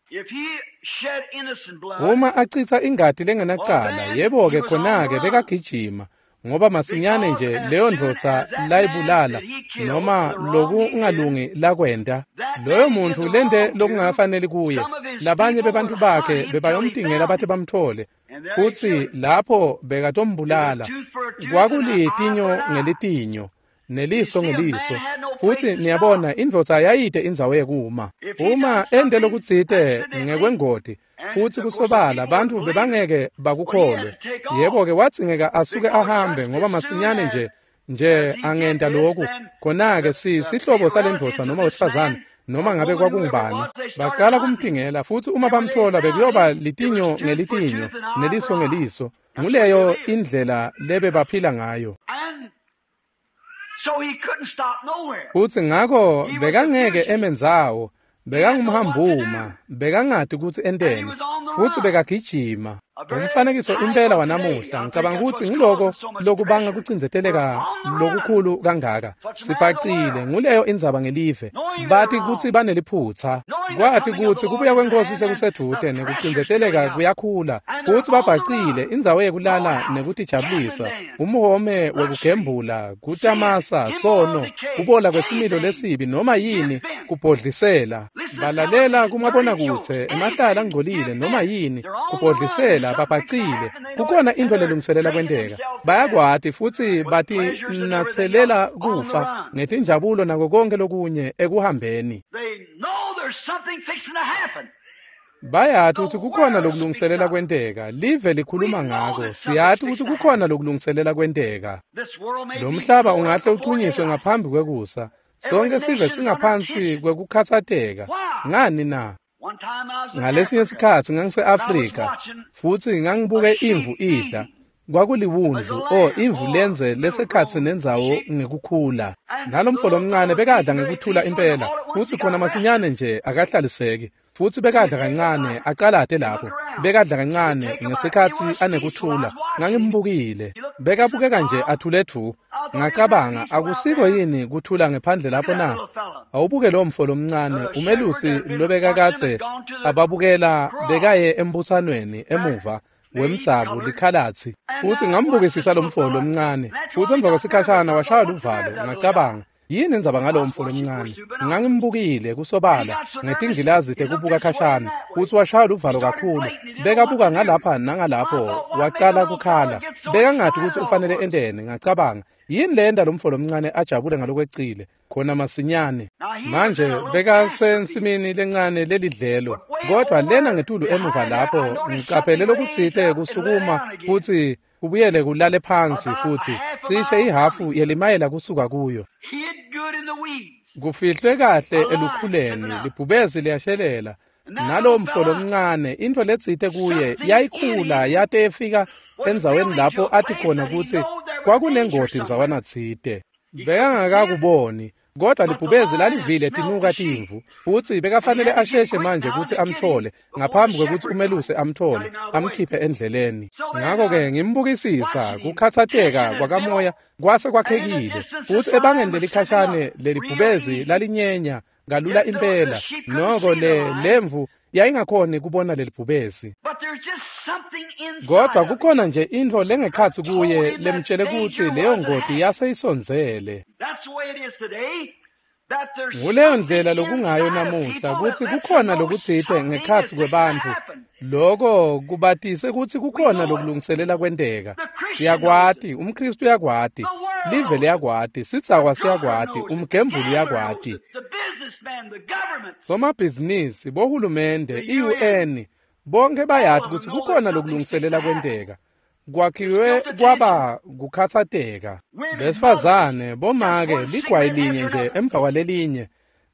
Uma acitsa ingati lengenacala, yebo-ke khona-ke bekagijima, ngoba masinyane nje leyo ndvodza layibulala noma lokungalungi lakwenta, loyo muntu lente lokungafaneli kuye, labanye bebantfu bakhe bebayomtingela bathi bamthole, futsi lapho bekatombulala. Kwakulitinyo ngelitinyo, neliso ngeliso, futsi niyabona indvodza yayide indzawo yekuma. Uma ente lokutsite ngekwengoti, futsi kusobala bantfu bebangeke bakukholwe, yebo-ke wadzingeka asuke ahambe, ngoba masinyane nje angenta lokhu, khona-ke sihlobo salendvodza noma wesifazane noma ngabe kwakungubani, bacala kumtingela, futsi uma bamthola bekuyoba litinyo ngelitinyo neliso ngeliso. Nguleyo indlela lebebaphila ngayo. Futsi ngako bekangeke emendzawo, bekangumhambuma, bekangati kutsi enteni, futsi bekagijima. Umfanekiso impela wanamuhla, ngicabanga kutsi ngiloko lokubanga kucindzeteleka lokukhulu kangaka. Sibhacile, nguleyo indzaba ngelive. Bati kutsi baneliphutsa, kwati kutsi kubuya kwenkosi sekusedvute nekucindzeteleka kuyakhula, kutsi babhacile indzawo yekulala nekutijabulisa, umhome wekugembula, kutamasa, sono, kubola kwesimilo lesibi noma yini, kubhodlisela. Balalela kumabonakudze, emahlala angcolile noma yini, kubhodlisela, babhacile. Kukhona intfo lelungiselela kwenteka. Bayakwati futsi batinatselela kufa ngetinjabulo nako konke lokunye ekuhambeni. Bayati kutsi kukhona lokulungiselela kwenteka. Live likhuluma ngako. Siyati kutsi kukhona lokulungiselela kwenteka. Lo mhlaba ungahle uchunyiswe ngaphambi kwekusa. Sonke sive singaphansi kwekukhatsateka. Ngani na? Ngalesinye sikhatsi ngangise-Afrika futsi ngangibuke imvu idla. Kwakuliwundlu, imvu lenze lesekhatsi nendzawo ngekukhula. Nalomfo lomncane bekadla ngekuthula impela, futsi khona masinyane nje akahlaliseki. Futsi bekadla kancane acalate lapho, bekadla kancane ngesikhatsi anekuthula. Ngangimbukile, bekabukeka nje athule dvu. Ngacabanga, akusiko yini kuthula ngephandle lapho na? Awubuke lo mfo lomncane, umelusi lobekakadze ababukela bekaye embutsanweni emuva wemdzabu likhalatsi. Futsi ngambukisisa lo mfo lomncane, futsi emva kwesikhashana washaya luvalo. Ngacabanga, yini indzaba ngalo mfo lomncane? Ngangimbukile kusobala ngetingilazi tekubuka khashana, futsi washaya luvalo kakhulu. Bekabuka ngalapha nangalapho, wacala kukhala. Bekangati kutsi ufanele enteni. Ngacabanga, yini lenda lo mfo lomncane ajabule ngalokwecile khona masinyane? Manje bekasensimini lencane lelidlelo, kodwa lena ngetulu emuva lapho ngicaphele lokutsite kusukuma kutsi kubuyele kulale phansi, futsi cishe ihhafu yelimayela kusuka kuyo. Kufihlwe kahle elukhuleni, libhubesi liyashelela. Nalowo mfo lomncane, intfo letsite kuye yayikhula yate yefika endzaweni lapho athi khona kutsi kwakunengoti ndzawana tsite. Bekangakakuboni, kodwa libhubesi lalivile tinuka timvu, futsi bekafanele asheshe manje kutsi amthole ngaphambi kwekutsi umeluse amthole, amkhiphe endleleni. Ngako-ke ngimbukisisa, kukhatsateka kwakamoya kwase kwakhekile, futsi ebangeni lelikhashane lelibhubesi lalinyenya kalula impela. Noko lemvu yayingakhoni kubona lelibhubesi. Kodwa kukhona nje intfo lengekhatsi kuye lemtshele kutsi leyo ngoti yase isondzele. Nguleyo ndlela lokungayo namuhla kutsi kukhona lokutsite ngekhatsi kwebantfu. Loko kubatise kutsi kukhona lokulungiselela kwenteka. Siyakwati, umKhristu uyakwati, live liyakwati, sidzakwa siyakwati, umgembuli uyakwati. Somabhizinisi, bohulumende, i-UN, bonke bayati kutsi kukhona lokulungiselela kwenteka. Kwakhiwe kwaba kukhatsateka. Besifazane, bomake, ligwayi linye nje emva kwalelinye.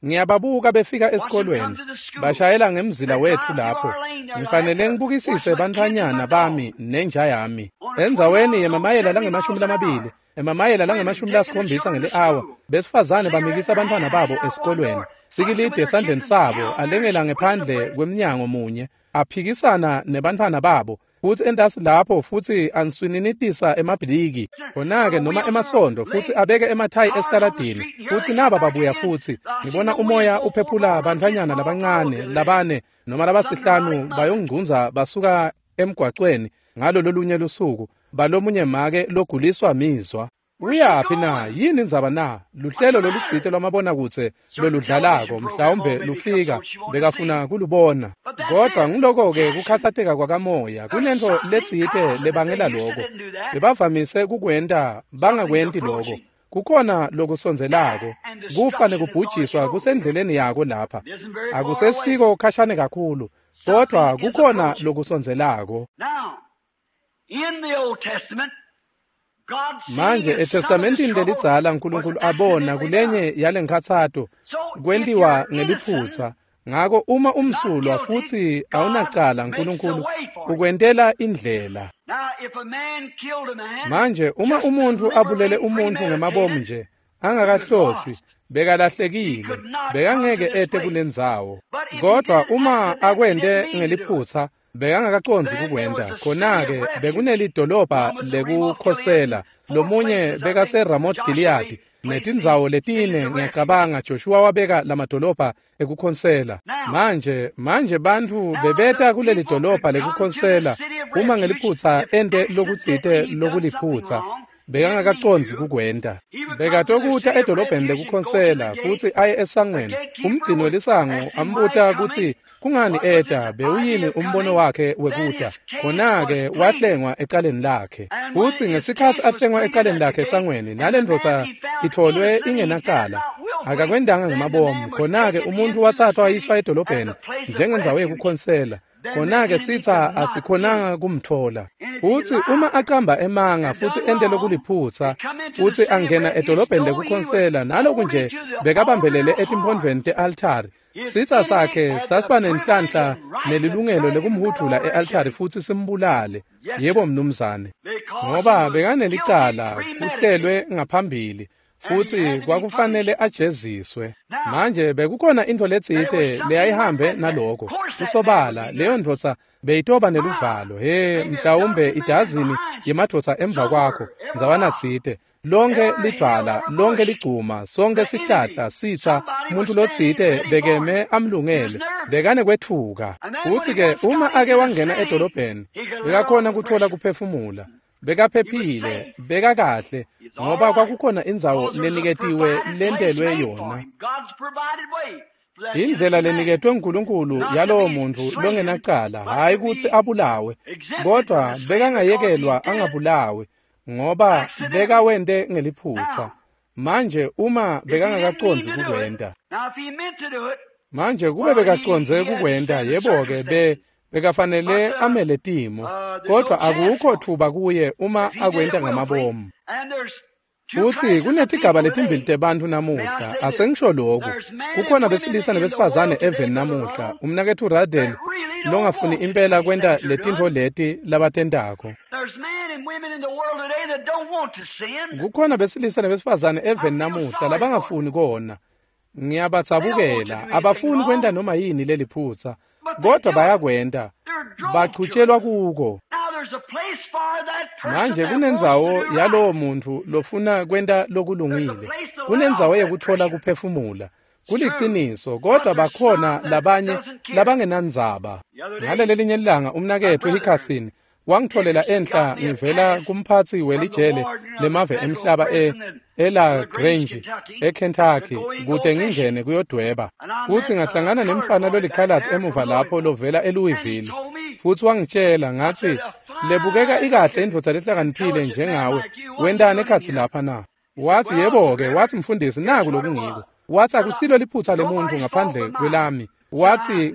Ngiyababuka befika esikolweni, bashayela ngemzila wetfu lapho. Ngifanele ngibukisise bantfwanyana bami nenja yami. Endzaweni yemamayela langemashumi lamabili, emamayela langemashumi lasikhombisa ngeli-awa, besifazane bamikisa bantfwana babo esikolweni. Sikilide esandleni sabo, alengela ngephandle kwemnyango munye, aphikisana nebantfwana babo. Futsi entasi lapho futsi answininitisa emabhiliki khona-ke noma emasondo futsi abeke emathayi esitaladini futsi naba babuya futsi ngibona umoya uphephula bantfwanyana labancane labane noma labasihlanu bayongcunza basuka emgwacweni ngalo lolunye lusuku balomunye make loguliswa mizwa. Uyaphi na? Yini indzaba na? Luhlelo lolutsite lwamabonakudze loludlalako mhlawumbe lufika bekafuna kulubona. Kodwa ngiloko-ke kukhatsateka kwakamoya kunentfo letsite lebangela loko. Bebavamise kukwenta bangakwenti loko. Kukhona lokusondzelako kufa nekubhujiswa kusendleleni yako lapha. Akusesiko khashane kakhulu kodwa kukhona lokusondzelako. In the Old Testament, Manje eTestamentini lelidzala uNkulunkulu abona kulenye yalenkhatsato kwentiwa ngeliphutsa. Ngako uma umsulwa futsi awunacala uNkulunkulu ukwentela indlela. Manje uma umuntfu abulele umuntfu ngemabomu nje angakahlosi bekalahlekile bekangeke ete kulendzawo. Kodwa uma akwente ngeliphutsa bekangakacondzi kukwenta khona-ke bekunelidolobha lekukhosela lomunye bekase-Ramoth Gilead netindzawo letine ngiyacabanga Joshua wabeka lamadolobha ekukhosela. Manje bantfu bebeta kuleli dolobha lekukhosela uma ngeliphutsa ente lokutsite lokuliphutsa bekangakacondzi kukwenta. Bekatokuta edolobheni lekukhosela futsi aye esangweni. Umgcini welisango ambuta kutsi kungani eta bewuyini umbono wakhe wekuta. Khona-ke wahlengwa ecaleni lakhe. Futsi ngesikhatsi ahlengwa ecaleni lakhe esangweni nalendvodza itfolwe ingenacala akakwendanga ngemabomu. Khona-ke umuntu wathathwa wayiswa edolobheni njengendzawo yekukhonsela. Khona-ke sitsa asikhonanga kumtfola. Futsi uma acamba emanga futsi ente lokuliphutsa futsi angena edolobheni lekukhonsela naloku nje bekabambelele etimphondvweni te-altari. Sitsa sakhe sasiba nenhlanhla nelilungelo lekumhudvula e-altari futsi simbulale. Yebo mnumzane. Ngoba bekanelicala kuhlelwe ngaphambili futsi kwakufanele ajeziswe. Manje bekukhona intfo letsite leyayihambe naloko. Kusobala leyo ndvodza beyitoba neluvalo. He mhlawumbe idazini yemadvodza emva kwakho ndzawana tsite. Lonke lidvwala, lonke ligcuma, sonke sihlahla sitsa umuntu lotsite bekeme amlungele bekane kwetfuka. Futsi-ke uma ake wangena edolobheni bekakhona kutfola kuphefumula. Bekaphephile, bekakahle ngoba kwakukhona indzawo leniketiwe lentelwe yona. Indlela leniketwe uNkulunkulu yalowo muntfu longenacala hhayi kutsi abulawe kodwa bekangayekelwa angabulawe ngoba bekawente ngeliphutsa. Manje uma bekangakacondzi kukwenta. Manje kube bekacondze kukwenta yebo-ke bekafanele amele timo kodwa akukho thuba kuye uma akwenta ngamabomu. Futsi kunetigaba letimbili tebantfu namuhla asengisho lokhu. Kukhona besilisa nebesifazane eveni namuhla umnaketfu Radel longafuni impela kwenta letintfo leti labatentako. Kukhona besilisa nebesifazane eveni namuhla labangafuni kona. Ngiyabatsabukela abafuni kwenta noma yini leliphutsa kodwa bayakwenta bachutshelwa kuko. Manje kunendzawo yalowo muntfu lofuna kwenta lokulungile. Kunendzawo yekutfola kuphefumula. Kuliciniso kodwa bakhona labanye labangenandzaba. Ngalelelinye ilanga umnaketfu Hickerson Wangitholela enhla ngivela kumphatsi welijele lemave emhlaba eLa Grange eKentucky kute ngingene kuyodweba. Futsi ngahlangana nemfana lolikhalatsi emuva lapho lovela eLouisville. Futsi wangitshela ngatsi, lebukeka ikahle indvodza lehlakaniphile njengawe, wentani ekhatsi lapha na? Watsi, yebo-ke, watsi mfundisi, naku lokungiko. Watsi akusilo liphutsa lemuntfu ngaphandle kwelami. Watsi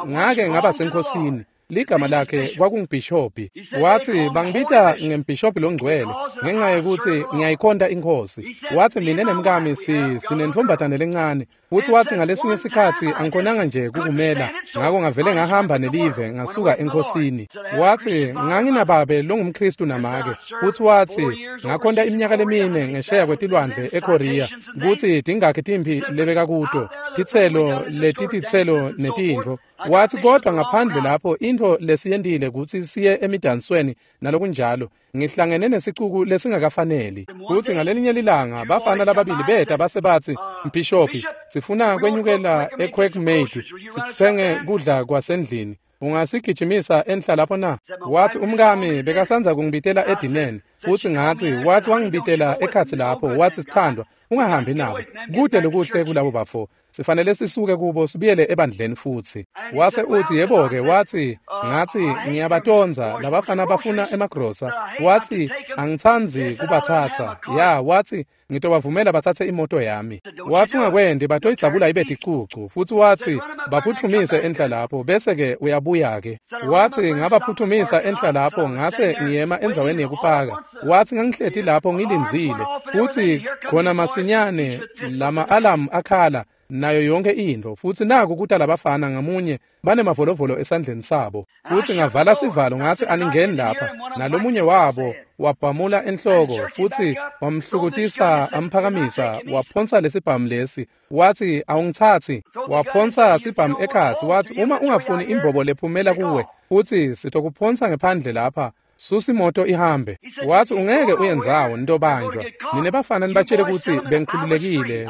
ngake ngaba senkhosini. Ligama lakhe kwakungibhishobhi. Watsi bangibita ngembhishobhi longcwele ngenxa yekutsi ngiyayikhonta inkhosi. Watsi mina nemkami sinentfombatane lencane. Futsi watsi ngalesinye sikhatsi angikhonanga nje kukumela, ngako ngavele ngahamba nelive ngasuka enkhosini. Watsi nganginababe longumKhristu namake. Futsi watsi ngakhonta iminyaka lemine ngesheya kwetilwandle eKorea kutsi tingakhi timphi lebekakuto, titselo letititselo netintfo. Watsi kodwa ngaphandle lapho intfo lesiyentile kutsi siye emidansweni nalokunjalo, ngihlangene nesicuku lesingakafaneli. Futsi ngalelinye lilanga bafana lababili beta base batsi, Mbhishobhi, sifuna kwenyukela eQuakeMade sitsenge kudla kwasendlini. Ungasigijimisa enhla lapho na? Watsi umkami bekasandza kungibitela edineni. Futsi ngatsi, watsi wangibitela ekhatsi lapho, watsi sithandwa, ungahambi nabo. Kude lokuhle kulabo bafo. Sifanele sisuke kubo sibuyele ebandleni futsi. Wase utsi yebo-ke, watsi ngatsi ngiyabatondza labafana bafuna emagrosa. Watsi angitsandzi kubatsatsa. Ya, watsi ngitobavumela batsatse imoto yami. Watsi ungakwendi batoyidzabula ibe ticucu. Futsi watsi baphuthumise enhla lapho bese-ke uyabuya-ke. Watsi ngabaphutfumisa enhla lapho ngase ngiyema endzaweni yekupaka. Watsi ngangihleti lapho ngilindzile. Futsi khona masinyane lama alamu akhala nayo yonke intfo. Futsi naku kuta labafana ngamunye banemavolovolo esandleni sabo. Futsi ngavala sivalo ngatsi aningeni lapha. Nalomunye wabo wabhamula enhloko futsi wamhlukutisa amphakamisa waphonsa lesibhamu lesi. Watsi awungitsatsi. Waphonsa sibhamu ekhatsi watsi uma ungafuni imbobo lephumela kuwe futsi sitokuphonsa ngephandle lapha. Susa imoto ihambe. Watsi ungeke uyendzawo nitobanjwa. Nine bafana nibatshele kutsi bengikhululekile,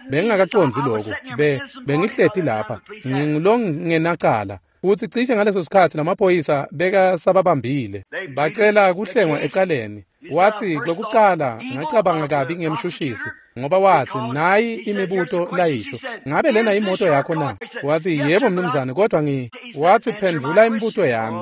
bengingakacondzi loku, bengihleti lapha, ngingulongenacala. Futsi cishe ngaleso sikhatsi lamaphoyisa bekasababambile. Bacela kuhlengwa ecaleni. Watsi kwekucala ngacabanga kabi ngemshushisi ngoba watsi nayi imibuto layisho. Ngabe lena imoto yakho na? Watsi yebo mnumzane, kodwa watsi phendvula imibuto yami.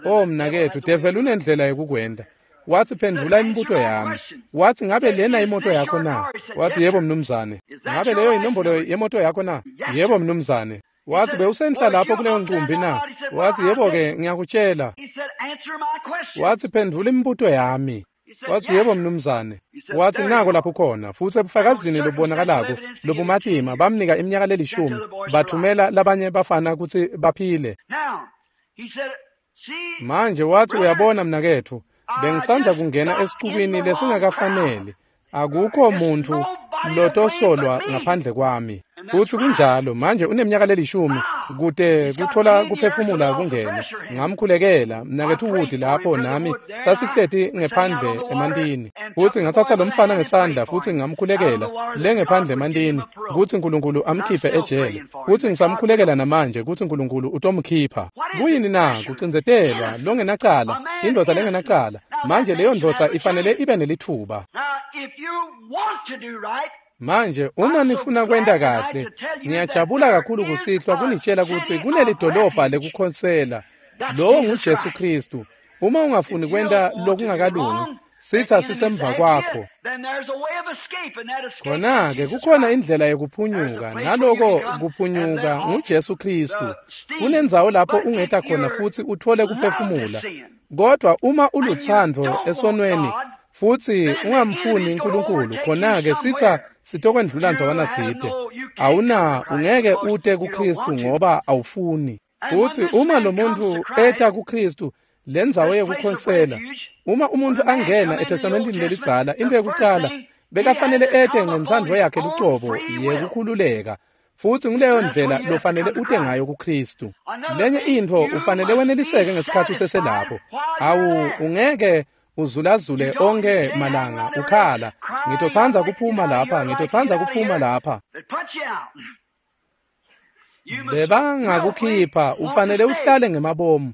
Oh mnaketfu, devil unendlela yekukwenta. Watsi phendvula imibuto yami. Watsi ngabe lena imoto yakho na? Watsi yebo mnumzane. Ngabe leyo inombolo yemoto yakho na? Yebo mnumzane. Watsi bewusenhla lapho kuleyo ncumbi na? Watsi yebo-ke ngiyakutshela. Watsi phendvula imibuto yami. Watsi yebo mnumzane. Watsi nako lapho khona. Futsi ebufakazini lobubonakalako lobumatima bamnika iminyaka lelishumi bathumela labanye bafana kutsi baphile. Manje watsi uyabona mnaketfu, bengisandza kungena esicukwini lesingakafaneli. Akukho muntfu lotosolwa ngaphandle kwami. Futsi kunjalo manje uneminyaka lelishumi kute kuthola kuphefumula kungene. Ngamkhulekela mnaketfu Wood lapho nami sasihleti ngephandle emantini. Futsi ngatsatsa lo mfana ngesandla futsi ngamkhulekela le ngephandle emantini kutsi uNkulunkulu amkhiphe ejele. Futsi ngisamkhulekela namanje kutsi uNkulunkulu utomkhipha. Kuyini na? Kucindzetelwa longenacala, indvodza lengenacala. Manje leyo ndvodza ifanele ibe nelithuba. Manje uma nifuna kwenta kahle, ngiyajabula kakhulu kusihlwa kunitshela kutsi kunelidolobha lekukhonsela. Lowo nguJesu Kristu. Uma ungafuni kwenta lokungakalungi, sitsa sisemva kwakho. Khona-ke kukhona indlela yekuphunyuka, naloko kuphunyuka nguJesu Kristu. Kunendzawo lapho ungeta khona futsi uthole kuphefumula. Kodwa uma ulutsandvo esonweni futsi ungamfuni uNkulunkulu, khona-ke sitsa sitokwendlula ndzawana tsite. Awuna, ungeke ute kuKristu ngoba awufuni. Futsi uma lo muntfu eta kuKristu, lendzawo yekukhonsela, uma umuntu angena eTestamentini lelidzala, into yekucala bekafanele ete ngentsandvo yakhe lucobo yekukhululeka. Futsi nguleyo ndlela lofanele ute ngayo kuKristu. Lenye intfo ufanele weneliseke ngesikhatsi useselapho. Awu, ungeke uzulazule onke malanga ukhala, ngitotsandza kuphuma lapha, ngitotsandza kuphuma lapha. Bebangakukhipha, ufanele uhlale ngemabomu.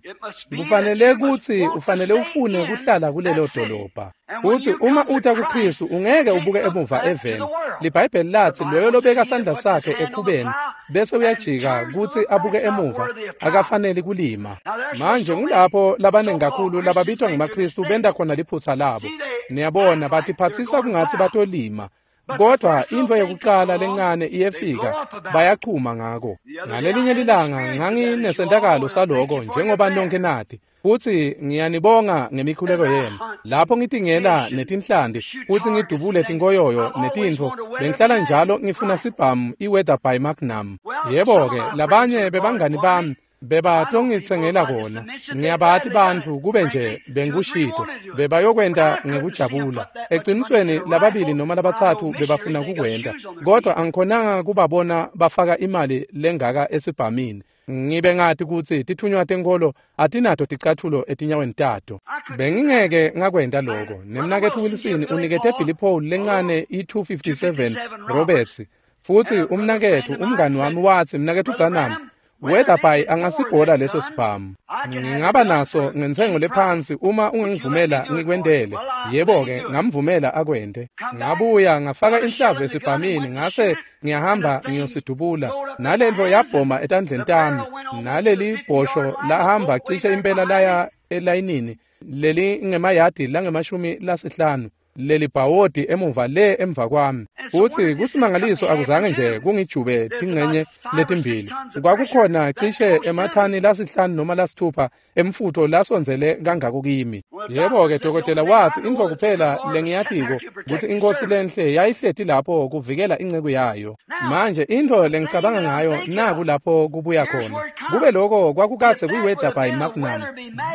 Kufanele kutsi ufanele ufune kuhlala kulelo dolobha. Uthi uma uta kuKristu ungeke ubuke emuva eveni. LiBhayibheli lathi loyo lobeka sandla sakhe ekhubeni bese uyajika kutsi abuke emuva akafanele kulima. Manje ngulapho labanengi kakhulu lababitwa ngemaKristu benta khona liphutsa labo. Niyabona batiphatsisa kungatsi batolima. Kodwa intfo yokuqala lencane iyefika bayachuma ngako. Ngalelinye lilanga nganginesentakalo saloko njengoba nonke nati. Futsi ngiyanibonga ngemikhuleko yenu. Lapho ngitingela netinhlanti futsi ngidubule tinkoyoyo netintfo, bengihlala njalo ngifuna sibhamu i-Weatherby Magnum. Yebo-ke, labanye bebangani bami bebatongitsengela kona. Ngiyabati bantfu kube nje bengikushito, bebayokwenta ngekujabula. Ecinisweni lababili noma labatsatfu bebafuna kukwenta, kodwa angikhonanga kubabona bafaka imali lengaka esibhamini. Ngibe ngati kutsi titfunywa tenkholo atinato ticatfulo etinyaweni tato. Bengingeke ngakwenta loko. Nemnaketfu Wilson unikete Billy Paul lencane i-257 Roberts. Futsi umnaketfu umngani wami watsi, mnaketfu Branham, Weatherby angasibhola leso sibhamu. Ngingaba naso ngentsengo lephansi uma ungangivumela ngikwentele. Yebo-ke, ngamvumela akwente. Ngabuya ngafaka inhlavu esibhamini ngase ngiyahamba ngiyosidubula. Nalentfo yabhoma etandleni tami. Naleli bhosho lahamba cishe impela laya elayinini leli ngemayadi langemashumi lasihlanu. Leli bhawodi emuva le emva kwami. Futsi kusimangaliso akuzange nje kungijube tingcenye letimbili. Kwakukhona cishe emathani lasihlanu noma lasithupha emfutho lasondzele kangako kimi. Yebo-ke, dokotela watsi intfo kuphela lengiyatiko kutsi inkosi lenhle yayihleti lapho kuvikela inceku yayo. Manje intfo lengicabanga ngayo naku lapho kubuya khona. Kube loko kwakukadze kuyi-Weatherby Magnum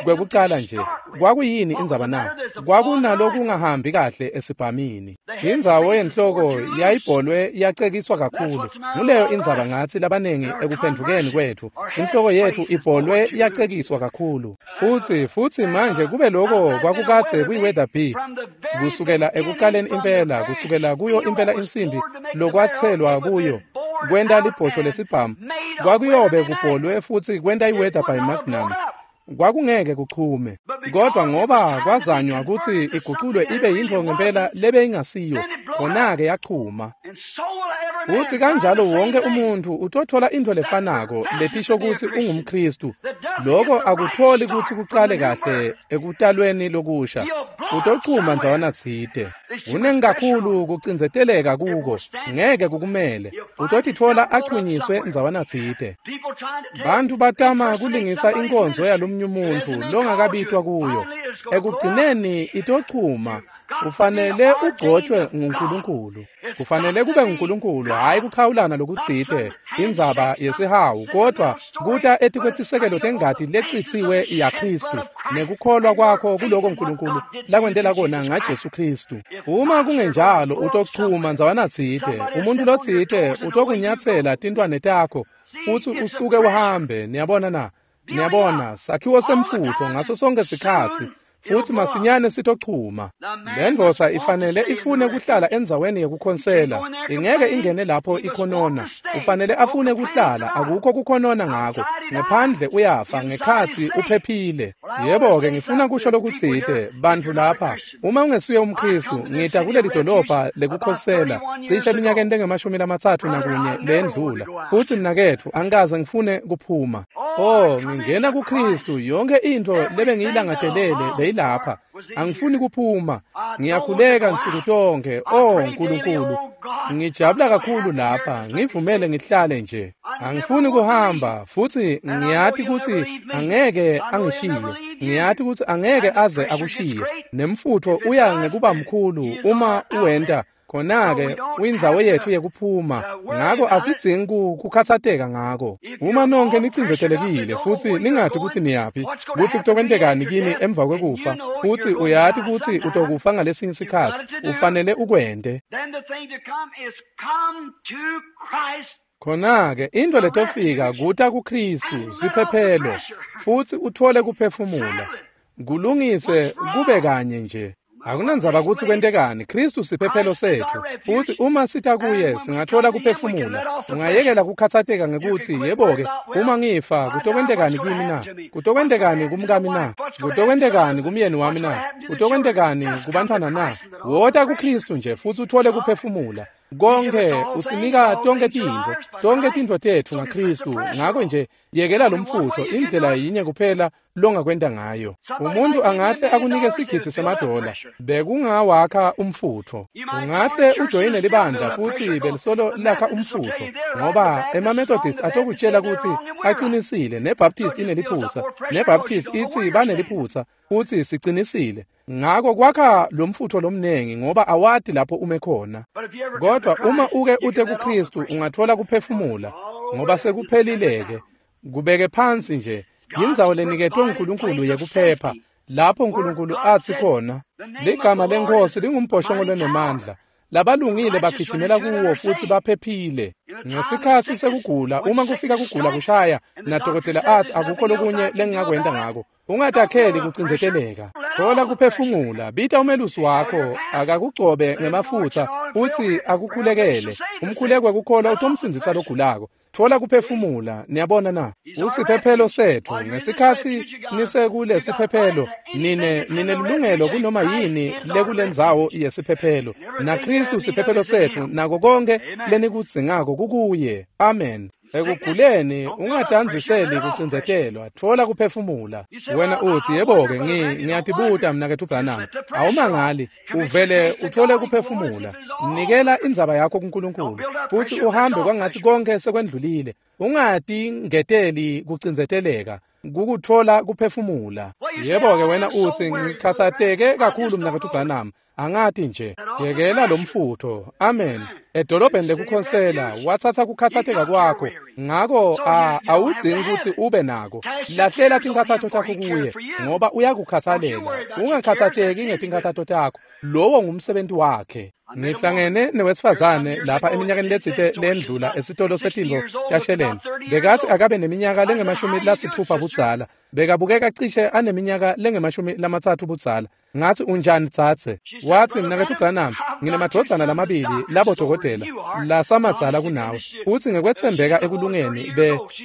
kwekucala nje. Kwakuyini indzaba na? Kwakunalokungahambi kahle esibhamini. Indzawo yenhloko yayibholwe yacekiswa kakhulu. Nguleyo indzaba ngatsi labanengi ekuphendvukeni kwetfu. Inhloko yetfu ibholwe yacekiswa kakhulu. Futsi manje kube loko kwakukadze kuyi-Weatherby kusukela ekucaleni impela, kusukela kuyo impela insimbi lokwatselwa kuyo kwenta libhosho lesibhamu, kwakuyobe kubholwe futsi kwenta i-Weatherby Magnum. Kwakungeke kuchume, kodwa ngoba kwazanywa kutsi iguculwe ibe yintfo ngempela lebe ingasiyo, khona-ke yachuma. Futsi kanjalo wonke umuntfu utothola intfo lefanako letisho kutsi ungumKristu. Loko akutholi kutsi kucale kahle ekutalweni lokusha. Utochuma ndzawana tsite. Kunengi kakhulu kucindzeteleka kuko, ngeke kukumele. Utotitfola achunyiswe ndzawana tsite. Bantfu batama kulingisa inkonzo yalomnye umuntfu longakabitwa kuyo. Ekugcineni itochuma. Ufanele ugcotshwe nguNkulunkulu. Kufanele kube nguNkulunkulu, hhayi kuchawulana lokutsite, indzaba yesihawu, kodwa kuta etikwetisekelo tengati lecitsiwe yaKristu nekukholwa kwakho kuloko Nkulunkulu lakwentela kona ngaJesu Kristu. Uma kungenjalo utochuma ndzawana tsite, umuntu lotsite utokunyatsela tintwane takho futsi usuke uhambe. Niyabona na? Niyabona, sakhiwo semfutfo ngaso sonke sikhatsi. Futsi masinyane sitochuma. Lendvodza ifanele ifune kuhlala endzaweni yekukhonsela. Ingeke ingene lapho ikhonona. Ufanele afune kuhlala, akukho kukhonona ngako. Ngephandle uyafa, ngekhatsi uphephile. Yebo-ke, ngifuna kusho lokutsite, bantfu lapha. Uma ungesuye umKristu, ngita kuleli dolobha lekukhosela cishe eminyakeni lengemashumi lamatsatfu nakunye lendlula. Futsi mnaketfu, angikaze ngifune kuphuma. Oh, ngingena kuKristu, yonke intfo lebengiyilangatelele beyilapha. Angifuni kuphuma. Ngiyakhuleka nsuku tonke. Oh Nkulunkulu, ngijabula kakhulu lapha. Ngivumele ngihlale nje. Angifuni kuhamba, futsi ngiyati kutsi angeke angishiye. Ngiyati kutsi angeke aze akushiye. Nemfutfo uya ngekuba mkhulu uma uwenta. Khona-ke uyindzawo yetfu yekuphuma, ngako asidzingi kukhatsateka ngako. Uma nonke nicindzetelekile futsi ningati kutsi niyaphi, kutsi kutokwentekani kini emva kwekufa, futsi uyati kutsi utokufa ngalesinye sikhatsi, ufanele ukwente. Khona-ke intfo letofika kuta kuKristu, siphephelo, futsi utfole kuphefumula. Kulungise kube kanye nje. Akunandzaba kutsi kwentekani, Khristu siphephelo setfu. Futsi uma sita kuye singatfola kuphefumula. Ungayekela kukhatsateka ngekutsi, yebo-ke, uma ngifa, kutokwentekani kimi na? Kutokwentekani kumkami na? Kutokwentekani kumyeni wami na? Kutokwentekani kubantfwana na? Wota kuKhristu nje futsi utfole kuphefumula. Konke usinika tonke tintfo tetfu ngaKhristu. Ngako nje yekela lomfutho, indlela yinye kuphela longakwenta ngayo. Umuntu angahle akunike $1,000,000 bekungawakha umfutho. Ungahle ujoyine libandla futsi belisolo lakha umfutho, ngoba emaMethodist atokutshela kutsi acinisile, neBaptist ineliphutsa, neBaptist itsi baneliphutsa, futsi sicinisile. Ngako kwakha lomfutho lomnengi ngoba awati lapho ume khona. Kodwa uma uke ute kuKhristu ungathola kuphefumula, ngoba sekuphelileke. Kubeke phansi nje. Yindzawo leniketwe uNkulunkulu yekuphepha, lapho uNkulunkulu athi khona, ligama leNkosi lingumbhoshongo lonemandla. Labalungile bagijimela kuwo futhi baphephile. Ngesikhatsi sekugula, uma kufika kugula kushaya, nadokotela athi akukho lokunye lengingakwenta ngako, ungatakheli kucindzeteleka. Thola kuphefumula, bita umelusi wakho, akakugcobe ngemafutsa futsi akukhulekele. Umkhuleko wekukholwa utomsindzisa logulako. Thola kuphefumula, niyabona na? Usiphephelo setfu. Ngesikhatsi nisekule siphephelo, nine ninelungelo kunoma yini lekulendzawo yesiphephelo. NaKhristu siphephelo setfu, nako konke lenikudzingako kukuye. Amen. Ekuguleni ungatandziseli kucindzetelwa, thola kuphefumula. Wena uthi, yebo-ke, ngiyatibuta mnaketfu Branham. Awumangali, uvele uthole kuphefumula. Nikela indzaba yakho kuNkulunkulu futsi uhambe kwangatsi konke sekwendlulile. Ungatingeteli kucindzeteleka, kukutfola kuphefumula. Yebo-ke, wena uthi, ngikhatsateke kakhulu mnaketfu Branham. Angati nje. Yekela lomfutho. Amen. Edolobheni lekukhosela watsatsa kukhatsateka kwakho. Ngako awudzingi kutsi ube nako. Lahlela tinkhatsato takho kuye, ngoba uyakukhatsalela. Ungakhatsateki ngetinkhatsato takho. Lowo ngumsebenzi wakhe. Ngihlangene newesifazane lapha eminyakeni letsite lendlula esitolo setintfo tasheleni. Bekathi akabe neminyaka lengama-60 budzala. Bekabukeka cishe aneminyaka lengama-30 budzala. Ngathi, unjani dzadze? Wathi, mnaketfu Branham, nginemadvodzana lamabili labodokotela lasamadzala kunawe. Uthi ngekwetsembeka ekulungeni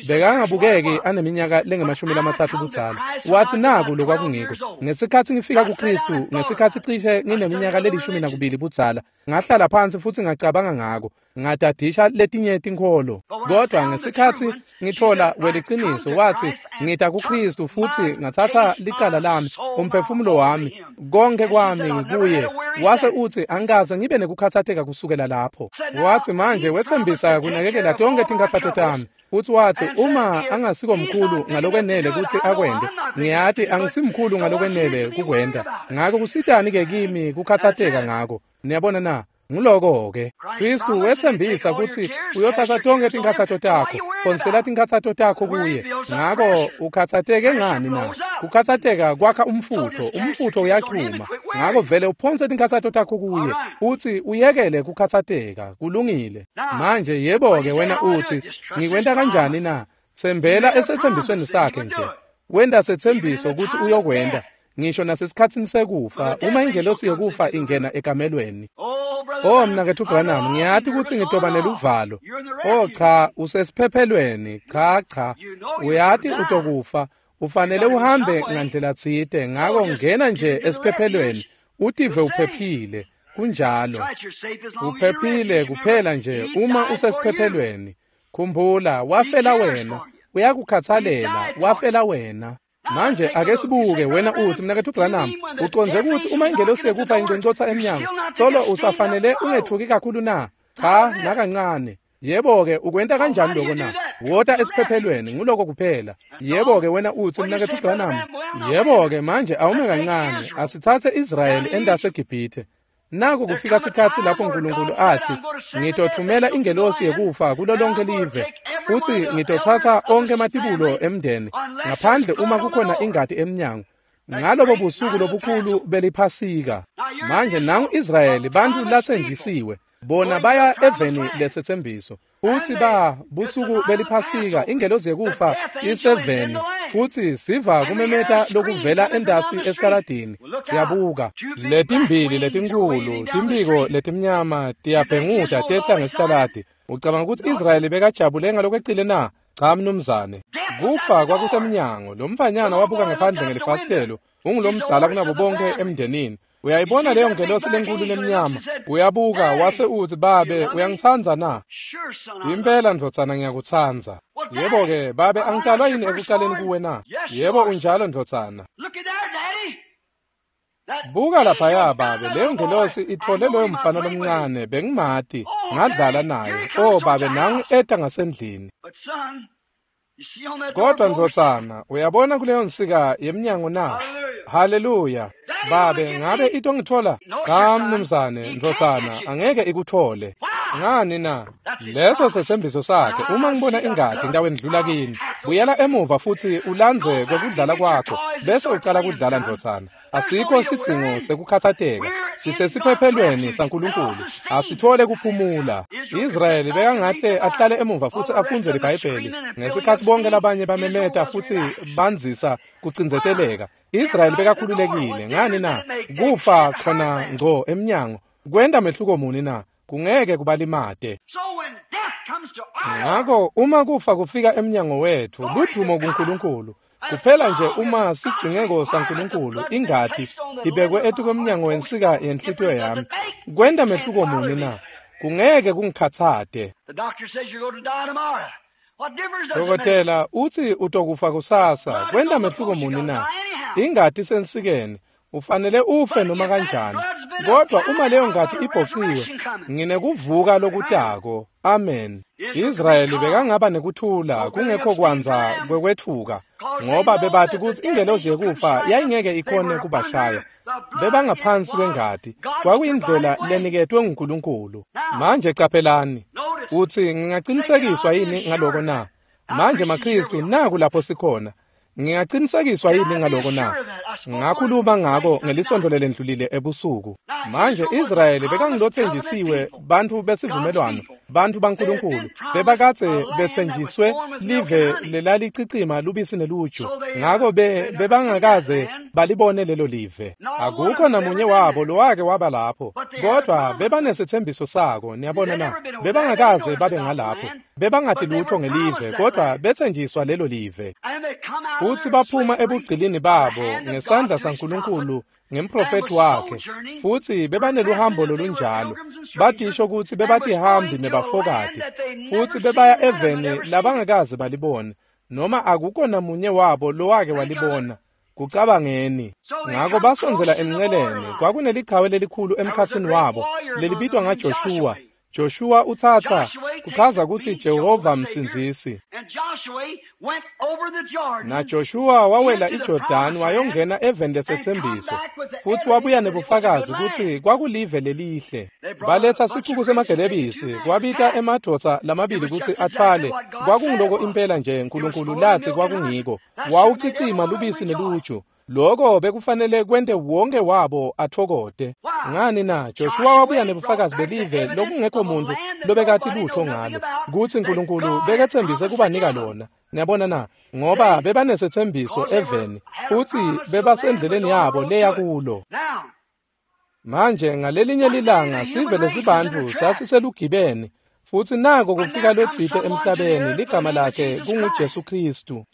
bekangabukeki aneminyaka lengama-30 budzala. Wathi, naku lokwakungiko. Ngesikhatsi ngifika kuKhristu, ngesikhatsi cishe ngineminyaka le-12 budzala, ngahlala phansi futsi ngacabanga ngako. Ngadadisha letinye tinkholo. Kodwa ngesikhatsi ngithola weliciniso, wathi, ngita kuKhristu futsi ngatsatsa licala lami, umphefumulo wami, konke kwami ngikuye. Wase uthi, angikaze ngibe nekukhatsateka kusukela lapho. Wathi, manje wetsembisa kunakekela tonke tinkhatsato tami. Futsi wathi, uma angasiko mkhulu ngalokwenele kutsi akwente, ngiyati angisimkhulu ngalokwenele kukwenta. Ngako kusitani-ke kimi kukhatsateka ngako? Niyabona na? Nguloko-ke. Khristu wetsembisa kutsi uyotsatsa tonke tinkhatsato takho, phonsela tinkhatsato takho kuye. Ngako ukhatsateke ngani na? Kukhatsateka kwakha umfutho, umfutho uyachuma. Ngako vele uphonse tinkhatsato takho kuye, utsi uyekele kukhatsateka. Kulungile. Manje yebo-ke, wena uthi, ngikwenta kanjani na? Tsembela esetsembisweni sakhe nje. Wenta setsembiso kutsi uyokwenta. Ngisho nasesikhatsini sekufa, uma ingelosi yekufa ingena ekamelweni. Oh mnaketfu Branham, ngiyati kutsi ngitoba neluvalo. Oh cha, usesiphephelweni. Cha cha, uyati utokufa. Ufanele uhambe ngandlela tsite. Ngako ngena nje esiphephelweni, utive uphephile. Kunjalo. Uphephile kuphela nje uma usesiphephelweni. Khumbula, wafela wena. Uyakukhatsalela, wafela wena. Manje ake sibuke, wena uthi, mnaketfu Branham, ucondze kutsi uma ingelosi yekufa inconcotsa emnyango, solo usafanele ungetfuki kakhulu na? Cha, nakancane. Yebo-ke, ukwenta kanjani lokho na? Wota esiphephelweni, nguloko kuphela. Yebo-ke, wena uthi, mnaketfu Branham. Yebo-ke, manje awume kancane, asitsatse Israyeli endaseGibhithe. Naku kufika sikhatsi lapho uNkulunkulu athi, ngitothumela ingelosi yekufa kulo lonke live, futsi ngitotsatsa onkhe ematibulo emndeni, ngaphandle uma kukhona ingati emnyango. Ngalobo busuku lobukhulu beliphasika. Manje nangu Israyeli, bantfu latsenjisiwe, bona baya eveni lesetsembiso. Futsi ba busuku beliphasika, ingelosi yekufa iseveni, Futsi siva kumemeta lokuvela entasi esitaladini. Siyabuka. Letimbili letinkhulu, timphiko letimnyama tiyabhenguta tehla ngesitaladi. Ucabanga kutsi Israyeli bekajabule ngalokwecile na? Cha mnumzane. Kufa kwakusemnyango. Lo mfanyana wabuka ngephandle ngelifasitelo. Ungulomdzala kunabo bonke emndenini. Uyayibona leyo ngelosi lenkulu lemnyama. Uyabuka wase utsi, "Babe, uyangitsandza na?" "Impela ndvodzana, ngiyakutsandza." "Yebo-ke, babe, angitalwa yini ekucaleni kuwe na?" "Yebo, unjalo ndvodzana." "Buka laphaya, babe, leyo ngelosi itfole loyo mfana lomncane, bengimati, ngadlala naye. Oh babe, nangu eta ngasendlini." "Kodwa ndvodzana, uyabona kuleyo nsika yemnyango na?" "Haleluya. Babe, ngabe itongitfola?" "Cha mnumzane, ndvodzana, angeke ikutfole." "Ngani na?" "Leso setsembiso sakhe. Uma ngibona ingati ngitawendlula kini. Buyela emuva futsi ulandze kwekudlala kwakho, bese ucala kudlala ndvodzana. Asikho sidzingo sekukhatsateka. Sisesiphephelweni saNkulunkulu. Asithole kuphumula." Israyeli bekangahle ahlale emuva futsi afundze liBhayibheli ngesikhatsi bonke labanye bamemeta futsi bandzisa kucindzeteleka. Israyeli bekakhululekile. Ngani na? Kufa khona ngco emnyango. Kwenta mehluko muni na? Kungeke kubalimate. Ngako uma kufa kufika emnyango wetfu, ludumo kuNkulunkulu. Kuphela nje uma sidzingeko saNkulunkulu, ingati ibekwe etukwemnyango wensika yenhlitiyo yami. Kwenta mehluko muni na? Kungeke kungikhatsate. Dokotela utsi utokufa kusasa. Kwenta mehluko muni na? Ingati sensikeni. Ufanele ufe noma kanjani. Kodwa uma leyo ngati ibhociwe, nginekuvuka lokutako. Amen. Israyeli bekangaba nekuthula kungekho kwandza kwekwetfuka, ngoba bebati kutsi ingelosi yekufa yayingeke ikhone kubashaya. Bebangaphansi kwengati. Kwakuyindlela leniketwe nguNkulunkulu. Manje caphelani. Utsi, "Ngingacinisekiswa yini ngaloko na?" Manje maKhristu, naku lapho sikhona. Ngingacinisekiswa yini ngaloko na? Ngakhuluma ngako ngelisonto lelendlulile ebusuku. Manje Israyeli bekangilotsenjisiwe, bantfu besivumelwano, bantfu baNkulunkulu. Bebakadze betsenjiswe live lelalicicima lubisi neluju. Ngako bebangakaze balibone lelo live. Akukho namunye wabo lowake waba lapho. Kodwa bebanesethembiso sako, niyabona na? Bebangakaze babe ngalapho. Bebangati lutho ngelive, kodwa betsenjiswa lelo live. Futsi baphuma ebugcilini babo ngesandla saNkulunkulu ngemprofethi wakhe, futsi bebaneluhambo lolunjalo. Batisho kutsi bebatihambi nebafokati, futsi bebaya eveni labangakaze balibone, noma akukho namunye wabo lowake walibona. Kucabangeni. Ngako basondzela emnceleni. Kwakunelichawe lelikhulu emkhatsini wabo lelibitwa ngaJoshuwa. Joshua utsatsa kuchaza kutsi Jehova msindzisi. Na Joshua wawela iJordani wayongena eveni lesetsembiso, futsi wabuya nebufakazi kutsi kwakulive lelihle. Baletsa sicuku semagelebisi, kwabita emadvodza lamabili kutsi atfwale. Kwakunguloko impela nje Nkulunkulu latsi kwakungiko. Wawucicima lubisi neluju. Loko bekufanele kwente wonke wabo atfokote. Ngani na? Joshua wabuya nebufakazi belive lokungekho muntu lobekati lutho ngalo, kutsi Nkulunkulu beketsembise kubanika lona. Niyabona na? Ngoba bebanesetsembiso eveni, futsi bebasendleleni yabo leya kulo. Manje ngalelinye lilanga sive lesibantfu sasiselugibeni, futsi nako kufika lotsite emhlabeni, ligama lakhe kunguJesu Khristu.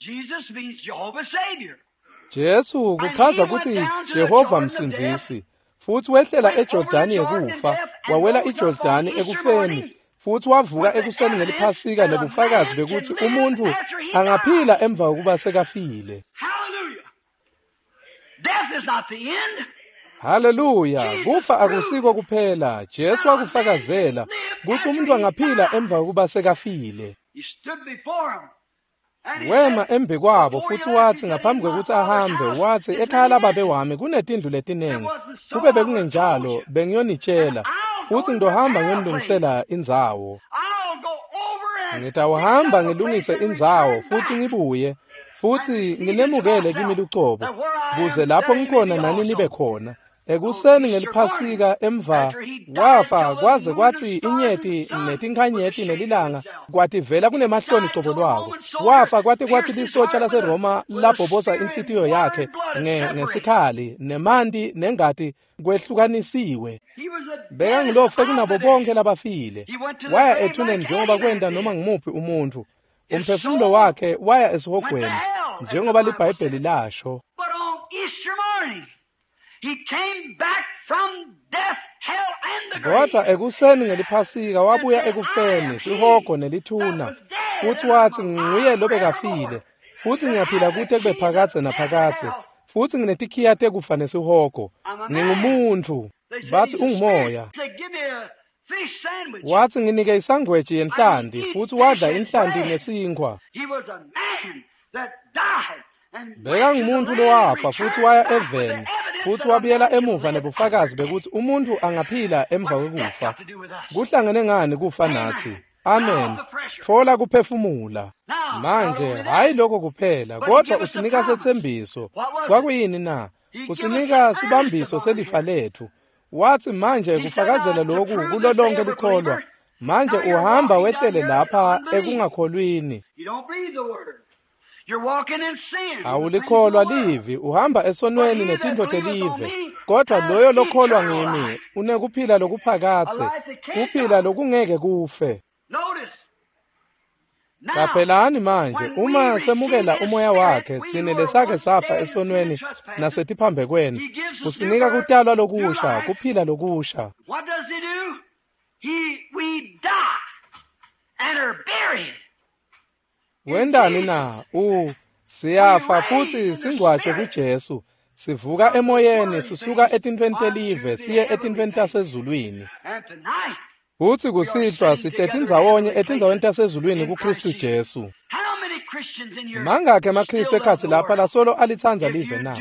Jesu kuchaza kutsi Jehova msindzisi, futsi wehlela eJordani yekufa, wawela iJordani ekufeni, futsi wavuka ekuseni ngeliphasika nebufakazi bekuthi umuntfu angaphila emva kokuba sekafile. Haleluya! Kufa akusiko kuphela. Jesu wakufakazela kutsi umuntu angaphila emva kokuba sekafile. Wema embi kwabo futsi watsi ngaphambi kwekutsi ahambe, watsi, "Ekhaya lababe wami kunetindlu letinengi. Kube bekungenjalo bengiyonitshela, futsi ngitohamba ngiyonilungisela indzawo. Ngitawuhamba ngilungise indzawo futsi ngibuye, futsi nginemukele kimi lucobo, kuze lapho ngikhona nani nibe khona. Ekuseni ngeliphasika emva wafa kwaze kwathi inyeti netinkhanyeti nelilanga kwativela kunemahloni cobo lwako. Wafa kwate kwathi lisotsha laseRoma labhoboza inhlitiyo yakhe ngesikhali nemanti nengati kwehlukanisiwe. Bekangulofe kunabo bonke labafile. Waya ethuneni njengoba kwenta noma ngumuphi umuntfu. Umphefumulo wakhe waya esihogweni njengoba liBhayibheli lasho. Kodwa ekuseni ngeliphasika wabuya ekufeni, sihogo nelithuna, futhi wathi nguye lobekafile, futhi ngiyaphila kute kube phakadze naphakadze, futhi nginetikhiya tekufa nesihogo. Ngingumuntfu. Bathi ungumoya. Wathi nginike isangweji yenhlanti, futhi wadla inhlanti nesinkhwa. Bekangumuntu lowafa futhi waya eveni, futhi wabuyela emuva nebufakazi bekuthi umuntu angaphila emva kwekufa. Kuhlangene ngani kufa nathi? Amen. Thola kuphefumula. Manje hayi lokho kuphela, kodwa usinika sethembiso. Kwakuyini na? Usinika sibambiso selifa lethu. Wathi manje kufakazela lokhu kulo lonke likholwa. Manje uhamba wehlele lapha ekungakholwini. Awulikholwa livi, uhamba esonweni netintfo telive. Kodwa loyo lokholwa ngimi unekuphila lokuphakadze, kuphila lokungeke kufe. Qaphelani manje, uma semukela umoya wakhe, tsine lesake safa esonweni nasetiphambekweni, usinika kutalwa lokusha, kuphila lokusha. Wendani na? Siyafa futhi singcwatshwe kuJesu. Sivuka emoyeni, sisuka etintfweni telive siye etintfweni tasezulwini. Futhi kusihlwa sihleti ndzawonye etindzaweni tasezulwini kuKristu Jesu. Mangakhi emaKristu ekhatsi lapha lasolo alitsandza live na?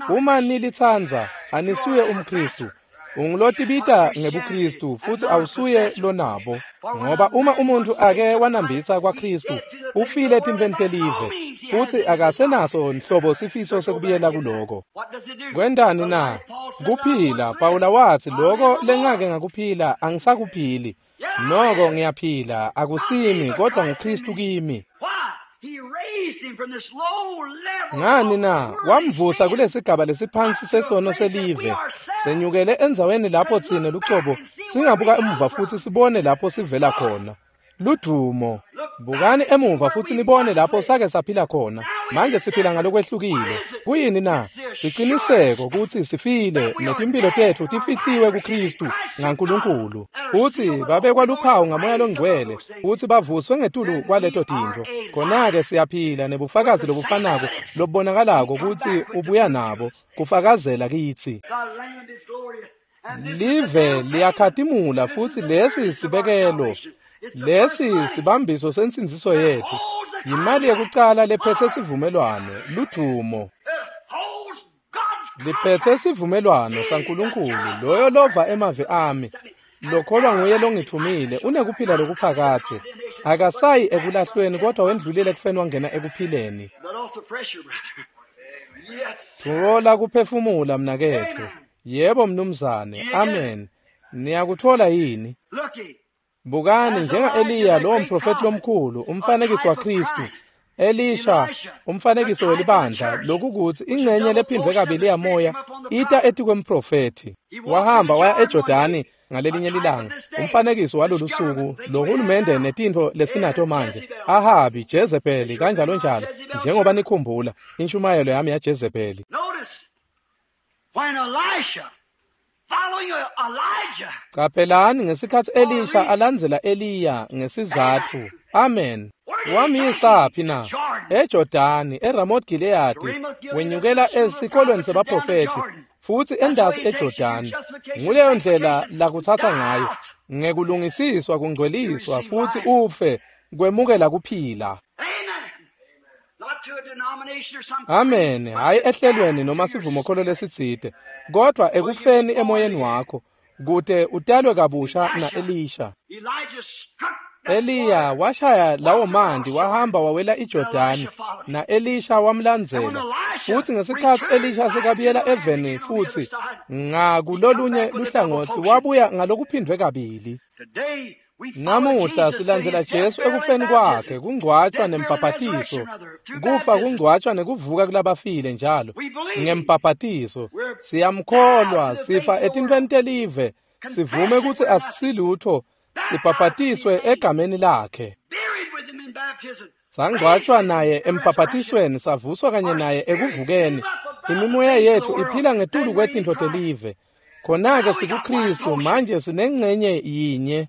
Uma nilitsandza, anisuye umKristu. Ungulotibita ngebuKristu futhi awusuye lonabo. Ngoba uma umuntu ake wanambitsa kwaKristu, ufile etintfweni telive, futhi akasenaso nhlobo sifiso sekubuyela kuloko. Kwentani na? Kuphila. Pawula wathi lokho lengake ngakuphila angisakuphili. Noko ngiyaphila, akusimi kodwa nguKristu kimi. Ngani na? Wamvusa kulesigaba lesiphansi sesono selive. Senyukele endzaweni lapho tsine lucobo singabuka emuva futhi sibone lapho sivela khona. Ludumo. Bukani emuva futhi nibone lapho sake saphila khona. Manje siphila ngalokwehlukile. Kuyini na? Siciniseko ukuthi sifile netimpilo tetfu tifihliwe kuKristu ngaNkulunkulu. Futhi babekwa luphawu ngamoya longcwele futhi bavuswe ngetulu kwaleto tintfo. Khona-ke siyaphila nebufakazi lobufanako lobubonakalako ukuthi ubuya nabo kufakazela kitsi. Live liyakhatimula futhi lesi sibekelo. Lesi sibambiso sensindziso yethu. Yimali yekucala lephethe sivumelwano, ludumo. Liphethe sivumelwano saNkulunkulu, loyo lova emavi ami, lokholwa nguye longithumile, unekuphila lokuphakadze. Akasayi ekulahlweni kodwa wendlulile ekufeni wangena ekuphileni. Thola kuphefumula mnaketfu. Yebo mnumzane. Amen. Niyakuthola yini? Bukani njenga-Eliya lowo mprofethi lomkhulu, umfanekiso waKristu. Elisha, umfanekiso welibandla, lokukuthi ingcenye lephindwe kabili yamoya ita etikwemprofethi. Wahamba waya eJordani ngalelinye lilanga, umfanekiso walolu suku, lo hulumende netintfo lesinato manje, Ahabi, Jezebeli, kanjalo njalo, njengoba nikhumbula inshumayelo yami yaJezebeli. Qaphelani ngesikhatsi Elisha alandzela Eliya ngesizatfu. Amen. Wamyisaphi na? EJordani, eRamoth Gileadi, wenyukela esikolweni sebaprofethi futhi endasi eJordani. Nguleyo ndlela lakutsatsa ngayo, ngekulungisiswa, kungcweliswa futhi ufe kwemukela kuphila. Amen. Hayi ehlelweni noma sivumokholo lesitsite, kodwa ekufeni emoyeni wakho, kute utalwe kabusha na-Elisha. Eliya washaya lawo manti wahamba wawela iJordani, na-Elisha wamlandzela. Futhi ngesikhatsi Elisha sekabuyela eveni futhi Ngakulolunye luhlangotsi wabuya ngalokuphindwe kabili. Namuhla silandzela Jesu ekufeni kwakhe, kungcwatshwa nembhaphathiso, kufa kungcwatshwa nekuvuka kulabafile njalo ngembhaphathiso. Siyamkholwa, sifa etintfweni telive, sivume kutsi asisilutfo, sibhaphatiswe egameni lakhe. Sangcwatshwa naye embhaphatisweni, savuswa kanye naye ekuvukeni. Imimoya yetfu iphila ngetulu kwetintfo telive. Khona-ke sikuKristu, manje sinengcenye yinye.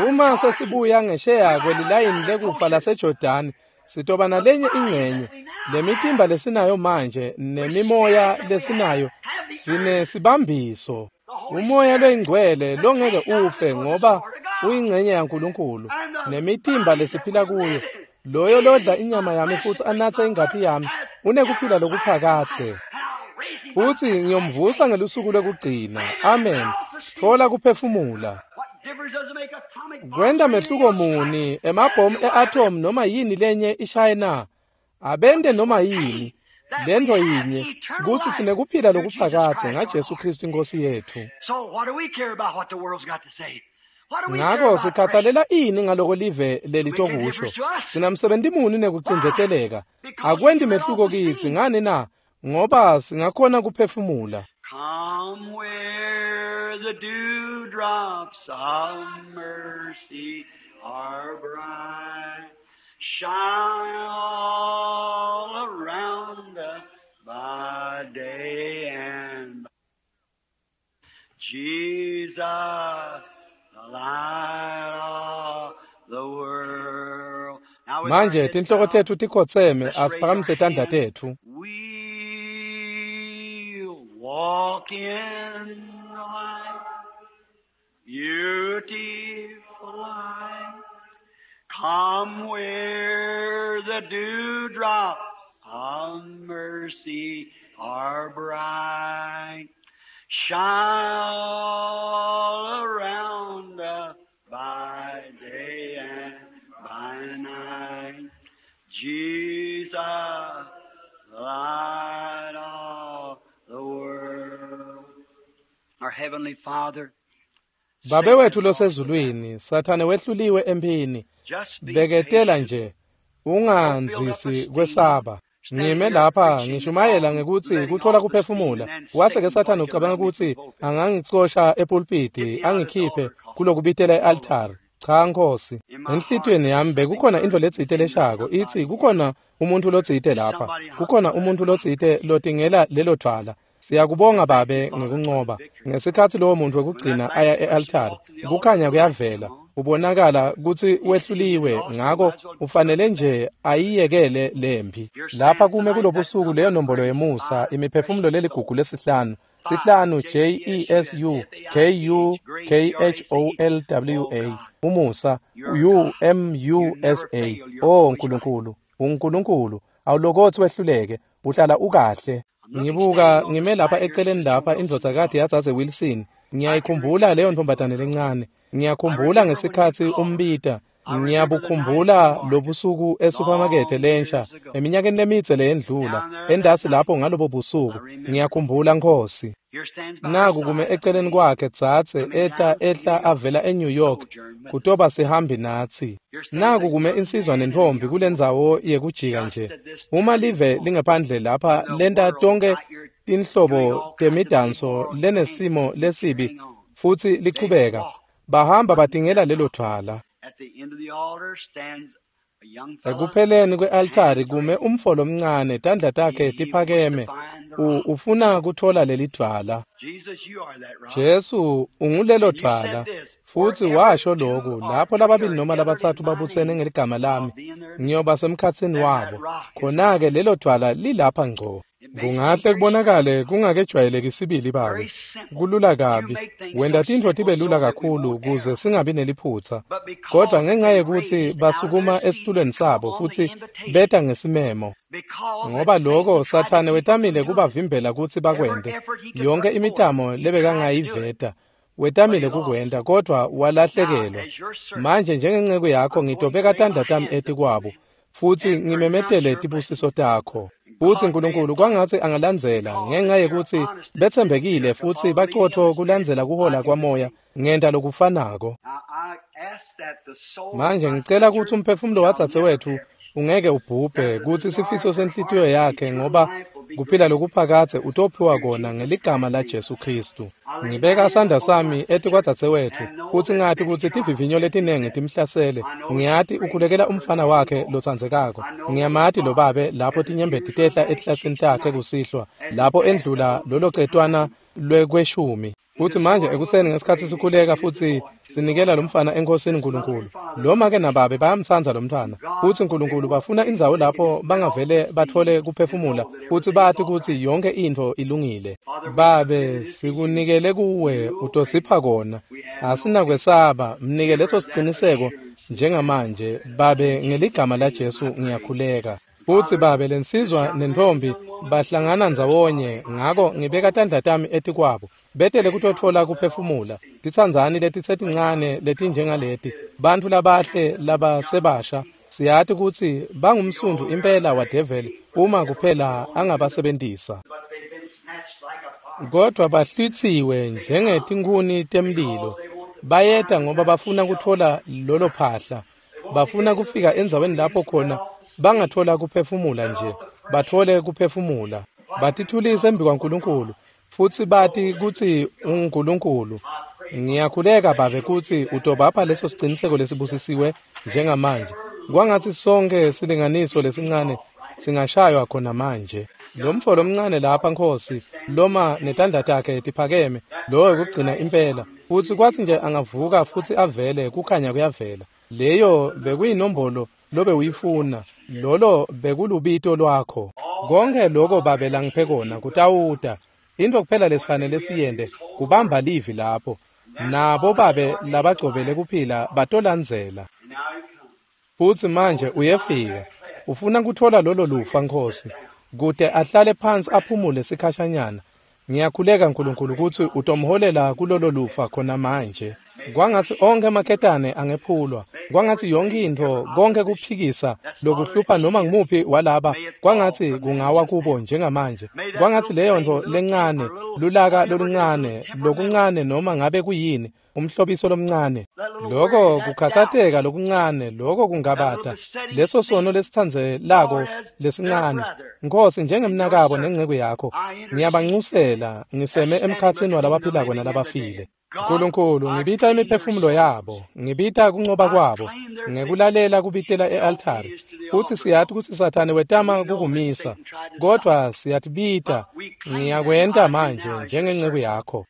Uma sesibuya ngesheya kwelilayini lekufa laseJordani, sitoba nalenye ingcenye. Lemitimba lesinayo manje nemimoya lesinayo sinesibambiso. Umoya loyingcwele longeke ufe ngoba uyingcenye yaNkulunkulu, nemitimba lesiphila kuyo. Loyo lodla inyama yami futsi anatse ingati yami unekuphila lokuphakadze, futsi ngiyomvusa ngelusuku lwekugcina. Amen. Thola kuphefumula. Kwenta mehluko muni emabhomu e-atom noma yini lenye ishaye na? Abente noma yini. Lento yinye kutsi sinekuphila lokuphakadze ngaJesu Kristu inkosi yetfu. Ngako sikhatsalela ini ngaloko live lelitokusho? Sinamsebenti muni nekucindzeteleka? Akwenti mehluko kitsi ngani na? Ngoba singakhona kuphefumula. Come where the dewdrops of mercy are bright, shine all around us by day and by. Jesus, the light of the world. Now with our Manje heads tinhloko bowed, tetfu tikhotseme, let's raise our asiphakamise tandla hands. tetfu. We'll walk in the light, beautiful light. Come where the dewdrops of mercy are bright. Shine all around us by day and by night. Jesus, the light of the world. Our Heavenly Father, Babe Satan wethu has lost the battle. losezulwini, Sathane wehluliwe emphini. Just be Beketela patient. nje, Don't build up a ungandzisi steam. kwesaba. Stand Ngime here lapha preaching ngishumayela on ngekutsi letting kuthola off the steam kuphefumula. and then Wase ke Satan Sathane going to ucabanga run me from kutsi pulpit. angangicosha Get epulpiti, me out of this angikhiphe altar call. kulokubitela No, e-altari. Lord. Cha Nkosi, In my heart enhlitiyweni there's yami something bekukhona intfo burning letsite saying there's leshako itsi somebody here. kukhona umuntfu lotsite There's lapha, somebody hunting kukhona for that umuntfu rock. lotsite lotingela lelo dvwala. Siyakubonga Thank you, Babe Father, for the ngekuncoba. victory. Ngesikhatsi lowo muntfu When that wekugcina last aya person e-altari, walked to the altar, kukhanya the light kuyavela. come on. Ubonakala kutsi He sees he wehluliwe, lost, he ngako might as well give up ufanele the battle. nje ayiyekele lempi. Here Lapha stands kume tonight that kulobusuku number leyo nombolo precious yemusa, five imiphefumulo precious leligugu souls. lesihlanu, Five sihlanu J J E E S U S S U F A I K T U H grace K G R A H C O E. L W Oh A, God, umusa you're U God. M U You S never A. fail. You're Oh always right. Nkulunkulu, uNkulunkulu, awulokothi wehluleke, uhlala ukahle. I'm looking Ngibuka standing on the ngime lapha side here, eceleni Sister lapha Wilson indvodzakati Love. yadzadze Wilson. I can Ngiyayikhumbula remember leyo that little ntombazane girl. lencane. I Ngiyakhumbula remember when you ngesikhatsi called her. umbita. I remember the night you Ngiyabukhumbula marked her lobusuku esupamakethe long lensha years ago. eminyakeni lemidze leyendlula Down there that endasi night, lapho ngalobo I busuku. remember. Ngiyakhumbula Nkosi. Here stands by her Naku kume side a eceleni man kwakhe dzadze coming eta down from New ehla York avela to eNew York sojourn with us. kutoba sihambi natsi. Here stands Naku a kume young insizwa man and a nentfombi young woman kulendzawo yekujika just nje. at this Uma turning live point lingephandle lapha when the lenta world tonke out here doing tinhlobo all kinds of temidanso immoral things lenesimo and lesibi carrying on. futsi They lichubeka. walk Bahamba hunting batingela that lelo rock. dvwala. At the end of the altar stands a young fella, Ekupheleni kwe-altari hands kume raised. umfo lomncane, tandla takhe He wants to tiphakeme, find the rock. ufuna kuthola leli dvwala. Jesus, you are that rock. Jesu ungulelo And you said dvwala, this, futsi wherever washo two loku, or lapho three lababili are noma gathered in labatsatfu my babutsene name, ngeligama I'll lami, be in their midst. ngiyoba semkhatsini Then that wabo. rock is right Khona-ke here. lelo dvwala lilapha ngco. It may seem Kungahle very kubonakale simple, kungakejwayeleki sibili babe. very simple. Kulula You kabi. make things Wenta so tintfo simple tibe so lula that we kakhulu won't kuze err. singabi neliphutsa. But Kodwa because ngenxa they yekutsi raised out of their basukuma seat esitulweni to come sabo on the futsi invitation, beta ngesimemo. because that Ngoba Satan loko tried to Sathane keep them from wetamile doing it. kubavimbela kutsi Every bakwente. effort he could Yonke put forth, imitamo he tried to do it, lebekangayiveta but he wetamile lost. kukwenta kodwa Now, walahlekelwa. as your servant, Manje njengenceku yakho I'm going to ngitobeka lay my tandla tami hands upon etikwabo them futsi and pronounce ngimemetele your tibusiso blessings. takho. Futsi Nkulunkulu kwangatsi angalandzela ngenxa yekutsi betsembekile futsi bacotfo kulandzela kuhola kwamoya, ngenta lokufanako. Manje ngicela kutsi umphefumulo wadzadzewetfu ungeke ubhubhe, kutsi sifiso senhlitiyo yakhe, ngoba kuphila lokuphakadze utophiwa kona ngeligama laJesu Khristu. Ngibeka sandla sami etikwadzadzewetfu futsi ngati kutsi tivivinyo letinengi timhlasele. Ngiyati ukhulekela umfana wakhe lotsandzekako. Ngiyamati lo babe lapho tinyembeti tehla etihlatsini takhe kusihlwa, lapho endlula lolo cetwana lwekweshumi. Futsi manje ekuseni ngesikhatsi sikhuleka futsi sinikela lomfana eNkhosini Nkulunkulu. Lo make nababe bayamtsandza lomntfwana. Futsi Nkulunkulu bafuna indzawo lapho bangavele batfole kuphefumula futsi bati kutsi yonkhe intfo ilungile. Babe, sikunikele kuwe, utosipha kona. Asinakwesaba, mnike leso siciniseko njengamanje. Babe, ngeligama laJesu ngiyakhuleka. Futsi babe, lensizwa nentombi bahlangana ndzawonye, ngako ngibeka tandla tami etikwabo. Betele kutotfola kuphefumula. Titsandzani letitsetincane letinjengaleti, bantfu labahle labasebasha. Siyati kutsi bangumsundvu impela wadeveli uma kuphela angabasebentisa. Kodwa bahlwitsiwe njengetinkhuni temlilo. Bayeta ngoba bafuna kutfola lolo phahla. Bafuna kufika endzaweni lapho khona bangatfola kuphefumula nje, batfole kuphefumula. Batithulise embi kwaNkulunkulu futsi bati kutsi unguNkulunkulu. Ngiyakhuleka Babe kutsi utobapha leso siciniseko lesibusisiwe njengamanje. Kwangatsi sonkhe silinganiso lesincane singashaywa khona manje. Lo mfo lomncane lapha, Nkhosi, loma netandla takhe tiphakeme, lowo wekugcina impela. Futsi kwatsi nje angavuka futsi avele, kukhanya kuyavela. Leyo bekuyinombolo lobe uyifuna, lolo bekulubito lwakho. Konke loko Babe langiphe kona kutawuta. Into kuphela lesifanele siyente kubamba livi lapho. Nabo Babe labagcobele kuphila batolandzela. Futsi manje uyefika. Ufuna kutfola lolo lufa, Nkhosi, kute ahlale phansi aphumule sikhashanyana. Ngiyakhuleka Nkulunkulu kutsi utomholela kulolo lufa khona manje. Kwangatsi onkhe emaketane angephulwa, kwangatsi yonkhe intfo, konke kuphikisa lokuhlupha noma ngumuphi walaba, kwangatsi kungawa kubo njengamanje. Kwangatsi leyo ntfo lencane, lulaka loluncane, lokuncane noma ngabe kuyini, umhlobiso lomncane, loko kukhatsateka lokuncane, loko kungabata, leso sono lesitsandzelako lesincane. Nkhosi, njengemnakabo nenceku yakho, ngiyabancusela, ngiseme emkhatsini walabaphilako nalabafile. Nkulunkulu, ngibita imiphefumulo yabo, ngibita kuncoba kwabo, ngekulalela kubitela e-altari. Futsi siyati kutsi Sathane wetama kukumisa, kodwa siyatibita. Ngiyakwenta manje njengenceku yakho.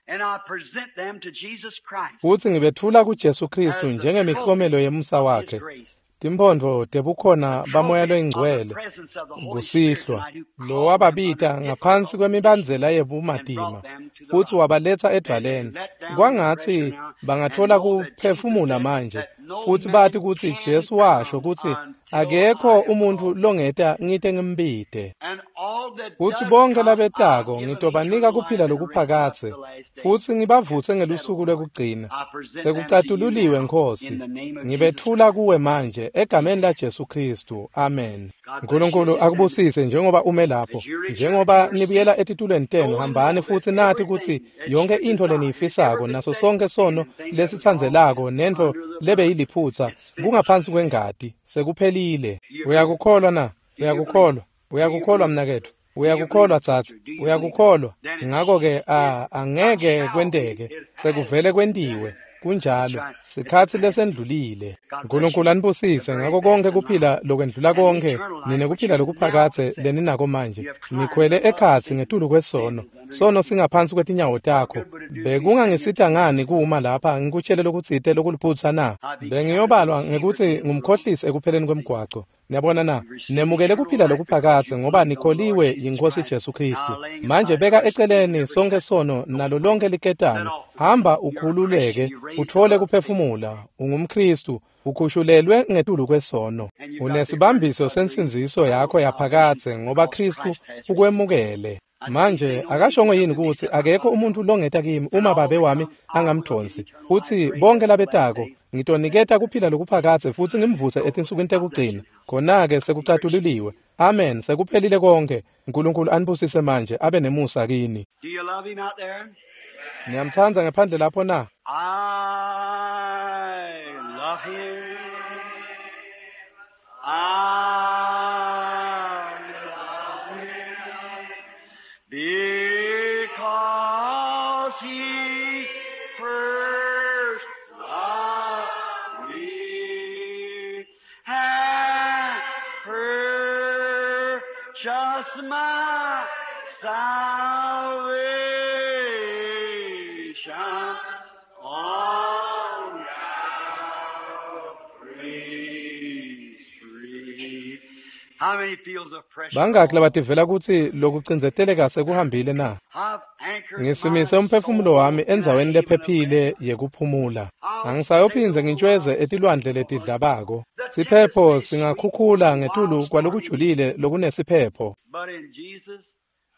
Futsi ngibetfula kuJesu Khristu njengemihlomelo yemusa wakhe, timphondvo tebukhona baMoya loyiNgcwele kusihlwa, lo wababita ngaphansi kwemibandzela yebumatima futsi wabaletsa edvwaleni. Kwangatsi bangatfola kuphefumula manje futsi bati kutsi Jesu washo kutsi akekho umuntfu longeta ngite ngimbite. Futsi bonke labetako ngitobanika kuphila lokuphakadze futsi ngibavutse ngelusuku lwekugcina. Sekucatululiwe, Nkhosi. Ngibetfula kuwe manje egameni laJesu Khristu. Amen. Nkulunkulu akubusise njengoba ume lapho. Njengoba nibuyela etitulweni tenu, hambani futsi nati kutsi yonke intfo leniyifisako naso sonke sono lesitsandzelako nentfo lebeyiliphutsa kungaphansi kwengati. Sekuphelile. Uyakukholwa na? Uyakukholwa? Uyakukholwa mnaketfu? Uyakukholwa tsatsi? Uyakukholwa? Ngako-ke angeke kwenteke. Sekuvele kwentiwe. Kunjalo. Sikhatsi lesendlulile. Nkulunkulu anibusise ngako konke kuphila lokwendlula konke, ninekuphila lokuphakadze leninako manje. Nikhwele ekhatsi ngetulu kwesono. Sono singaphansi kwetinyawo takho. Bekungangisita ngani kuma lapha ngikutshele lokutsite lokuliphutsa na? Bengiyobalwa ngekutsi ngumkhohlisi ekupheleni kwemgwaco. Niyabona na? Nemukele kuphila lokuphakadze ngoba nikholiwe yiNkhosi Jesu Khristu. Manje beka eceleni sonke sono nalo lonke liketane. Hamba ukhululeke, utfole kuphefumula. UngumKhristu, ukhushulelwe ngetulu kwesono. Unesibambiso sensindziso yakho yaphakadze ngoba Khristu ukwemukele. Manje akashongo yini kutsi akekho umuntfu longeta kimi uma Babe wami angamdvonsi? Utsi bonke labetako Ngitoniketa kuphila lokuphakadze futsi ngimvuse etinsukwini tekugcina. Khona-ke sekucatululiwe. Amen, sekuphelile konke. Nkulunkulu anibusise manje, abe nemusa kini. Do you love him out there? Niyamtsandza ngephandle lapho na? I love him. I love him because he first loved me and purchased my salvation on Calvary's tree. How many feels of pressure? Bangaki labativela kutsi lokucindzeteleka sekuhambile na? I've anchored Ngisimise my umphefumulo soul wami in a endzaweni haven of lephephile rest. yekuphumula. Angisayophindze ngintshweze etilwandle letidlabako. Siphepho singakhukhula ngetulu kwalokujulile lokunesiphepho. But in Jesus,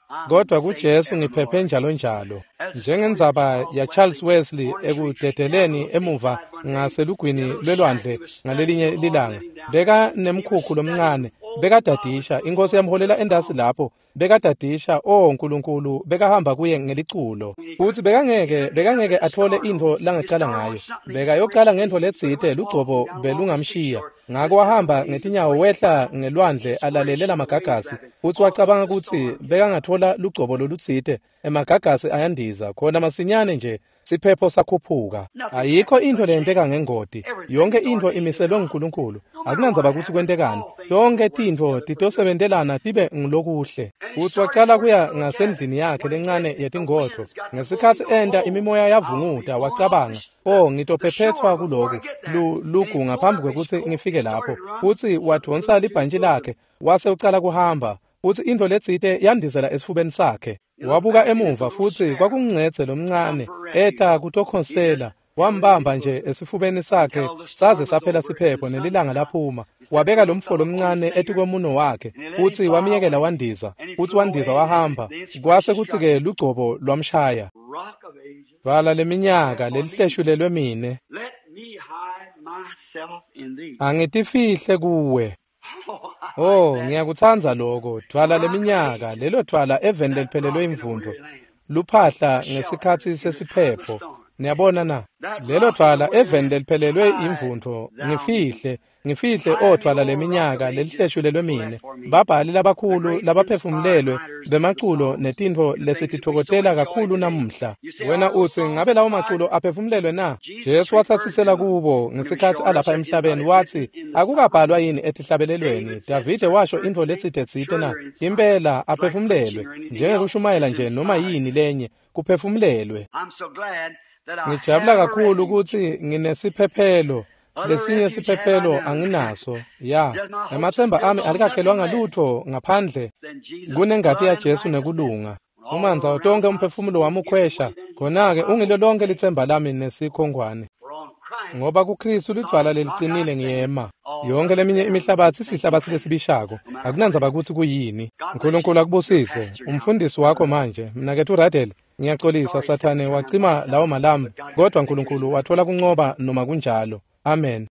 I'm Kodwa safe kuJesu ngiphephe evermore. njalo njalo. Njengendzaba ya Charles Wesley ekudedeleni emuva ngaselugwini lwelwandle ngalelinye lilanga. Beka nemkhukhu lomncane, bekadadisha, inkosi yamholela endasi lapho, bekadadisha, oh Nkulunkulu, bekahamba kuye ngeliculo. Futsi bekangeke atfole intfo langacala ngayo. Bekayocala ngentfo letsite lugcobo belungamshiya. Ngako wahamba ngetinyawo wehla ngelwandle alalele lamagagasi, futsi wacabanga kutsi bekangatfola lugcobo lolutsite. Emagagasi ayandiza khona masinyane nje siphepho sakhuphuka. Ayikho intfo leyenteka ngengoti. Yonke intfo imiselwe nguNkulunkulu. Akunandzaba kutsi kwentekani. Tonkhe tintfo titosebentelana tibe ngulokuhle. Futsi wacala kuya ngasendlini yakhe lencane yetingodvo. Ngesikhatsi enta imimoya yavunguta wacabanga, "Oh, ngitophephethwa kuloku lugu ngaphambi kwekutsi ngifike lapho." Futsi wadvonsa libhantji lakhe wase ucala kuhamba. Futsi intfo letsite yandizela esifubeni sakhe. Wabuka emuva futsi kwakungcedze lomncane eta kutokhonsela. Wambamba nje esifubeni sakhe saze saphela siphepho nelilanga laphuma. Wabeka lomfo lomncane etikwemuno wakhe futsi wamyekela wandiza. Futsi wandiza wahamba. Kwase kutsi-ke lugcobo lwamshaya. Rock of Ages, Vala leminyaka lelihleshulelwe mine. let me hide myself in thee. Angitifihle kuwe. Oh, I Oh, like that. ngiyakutsandza lokho. Dvwala leminyaka, lelo dvwala eveni leliphelelwe imvundvo. Luphahla ngesikhatsi sesiphepho. Niyabona na? Lelo dvwala eveni leliphelelwe imvundvo. Ngifihle, ngifihle o dvwala leminyaka lelihleshulelwe mine. Babhali labakhulu labaphefumulelwe bemaculo netintfo lesititfokotela kakhulu namuhla. Wena utsi ngabe lawo maculo aphefumulelwe na? Jesu watsatsisela kubo ngesikhatsi alapha emhlabeni wathi, akukabhalwa yini etihlabelelweni? Davide washo intfo letsite na? Impela aphefumulelwe, njengekushumayela nje noma yini lenye, kuphefumulelwe. I'm so glad that I Ngijabula have a kakhulu refuge. kutsi nginesiphephelo, lesinye siphephelo anginaso. Ya, emathemba ami alikakhelwanga lutho ngaphandle Than Jesus' kunengati blood ya and Jesu righteousness. nekulunga. Uma ndzawo tonke umphefumulo wami ukhwesha, khona-ke ungilo lonke litsemba lami nesikhongwane. For on Christ Ngoba kuKristu lidvwala leliqinile ngiyema. Yonke leminye imihlabathi isihlabathi lesibishako. Akunandzaba kutsi kuyini. Nkulunkulu akubusise. Umfundisi wakho manje, mnaketfu Radel, ngiyaxolisa Sathane wacima lawo malambu, kodwa Nkulunkulu wathola kuncoba noma kunjalo. Amen.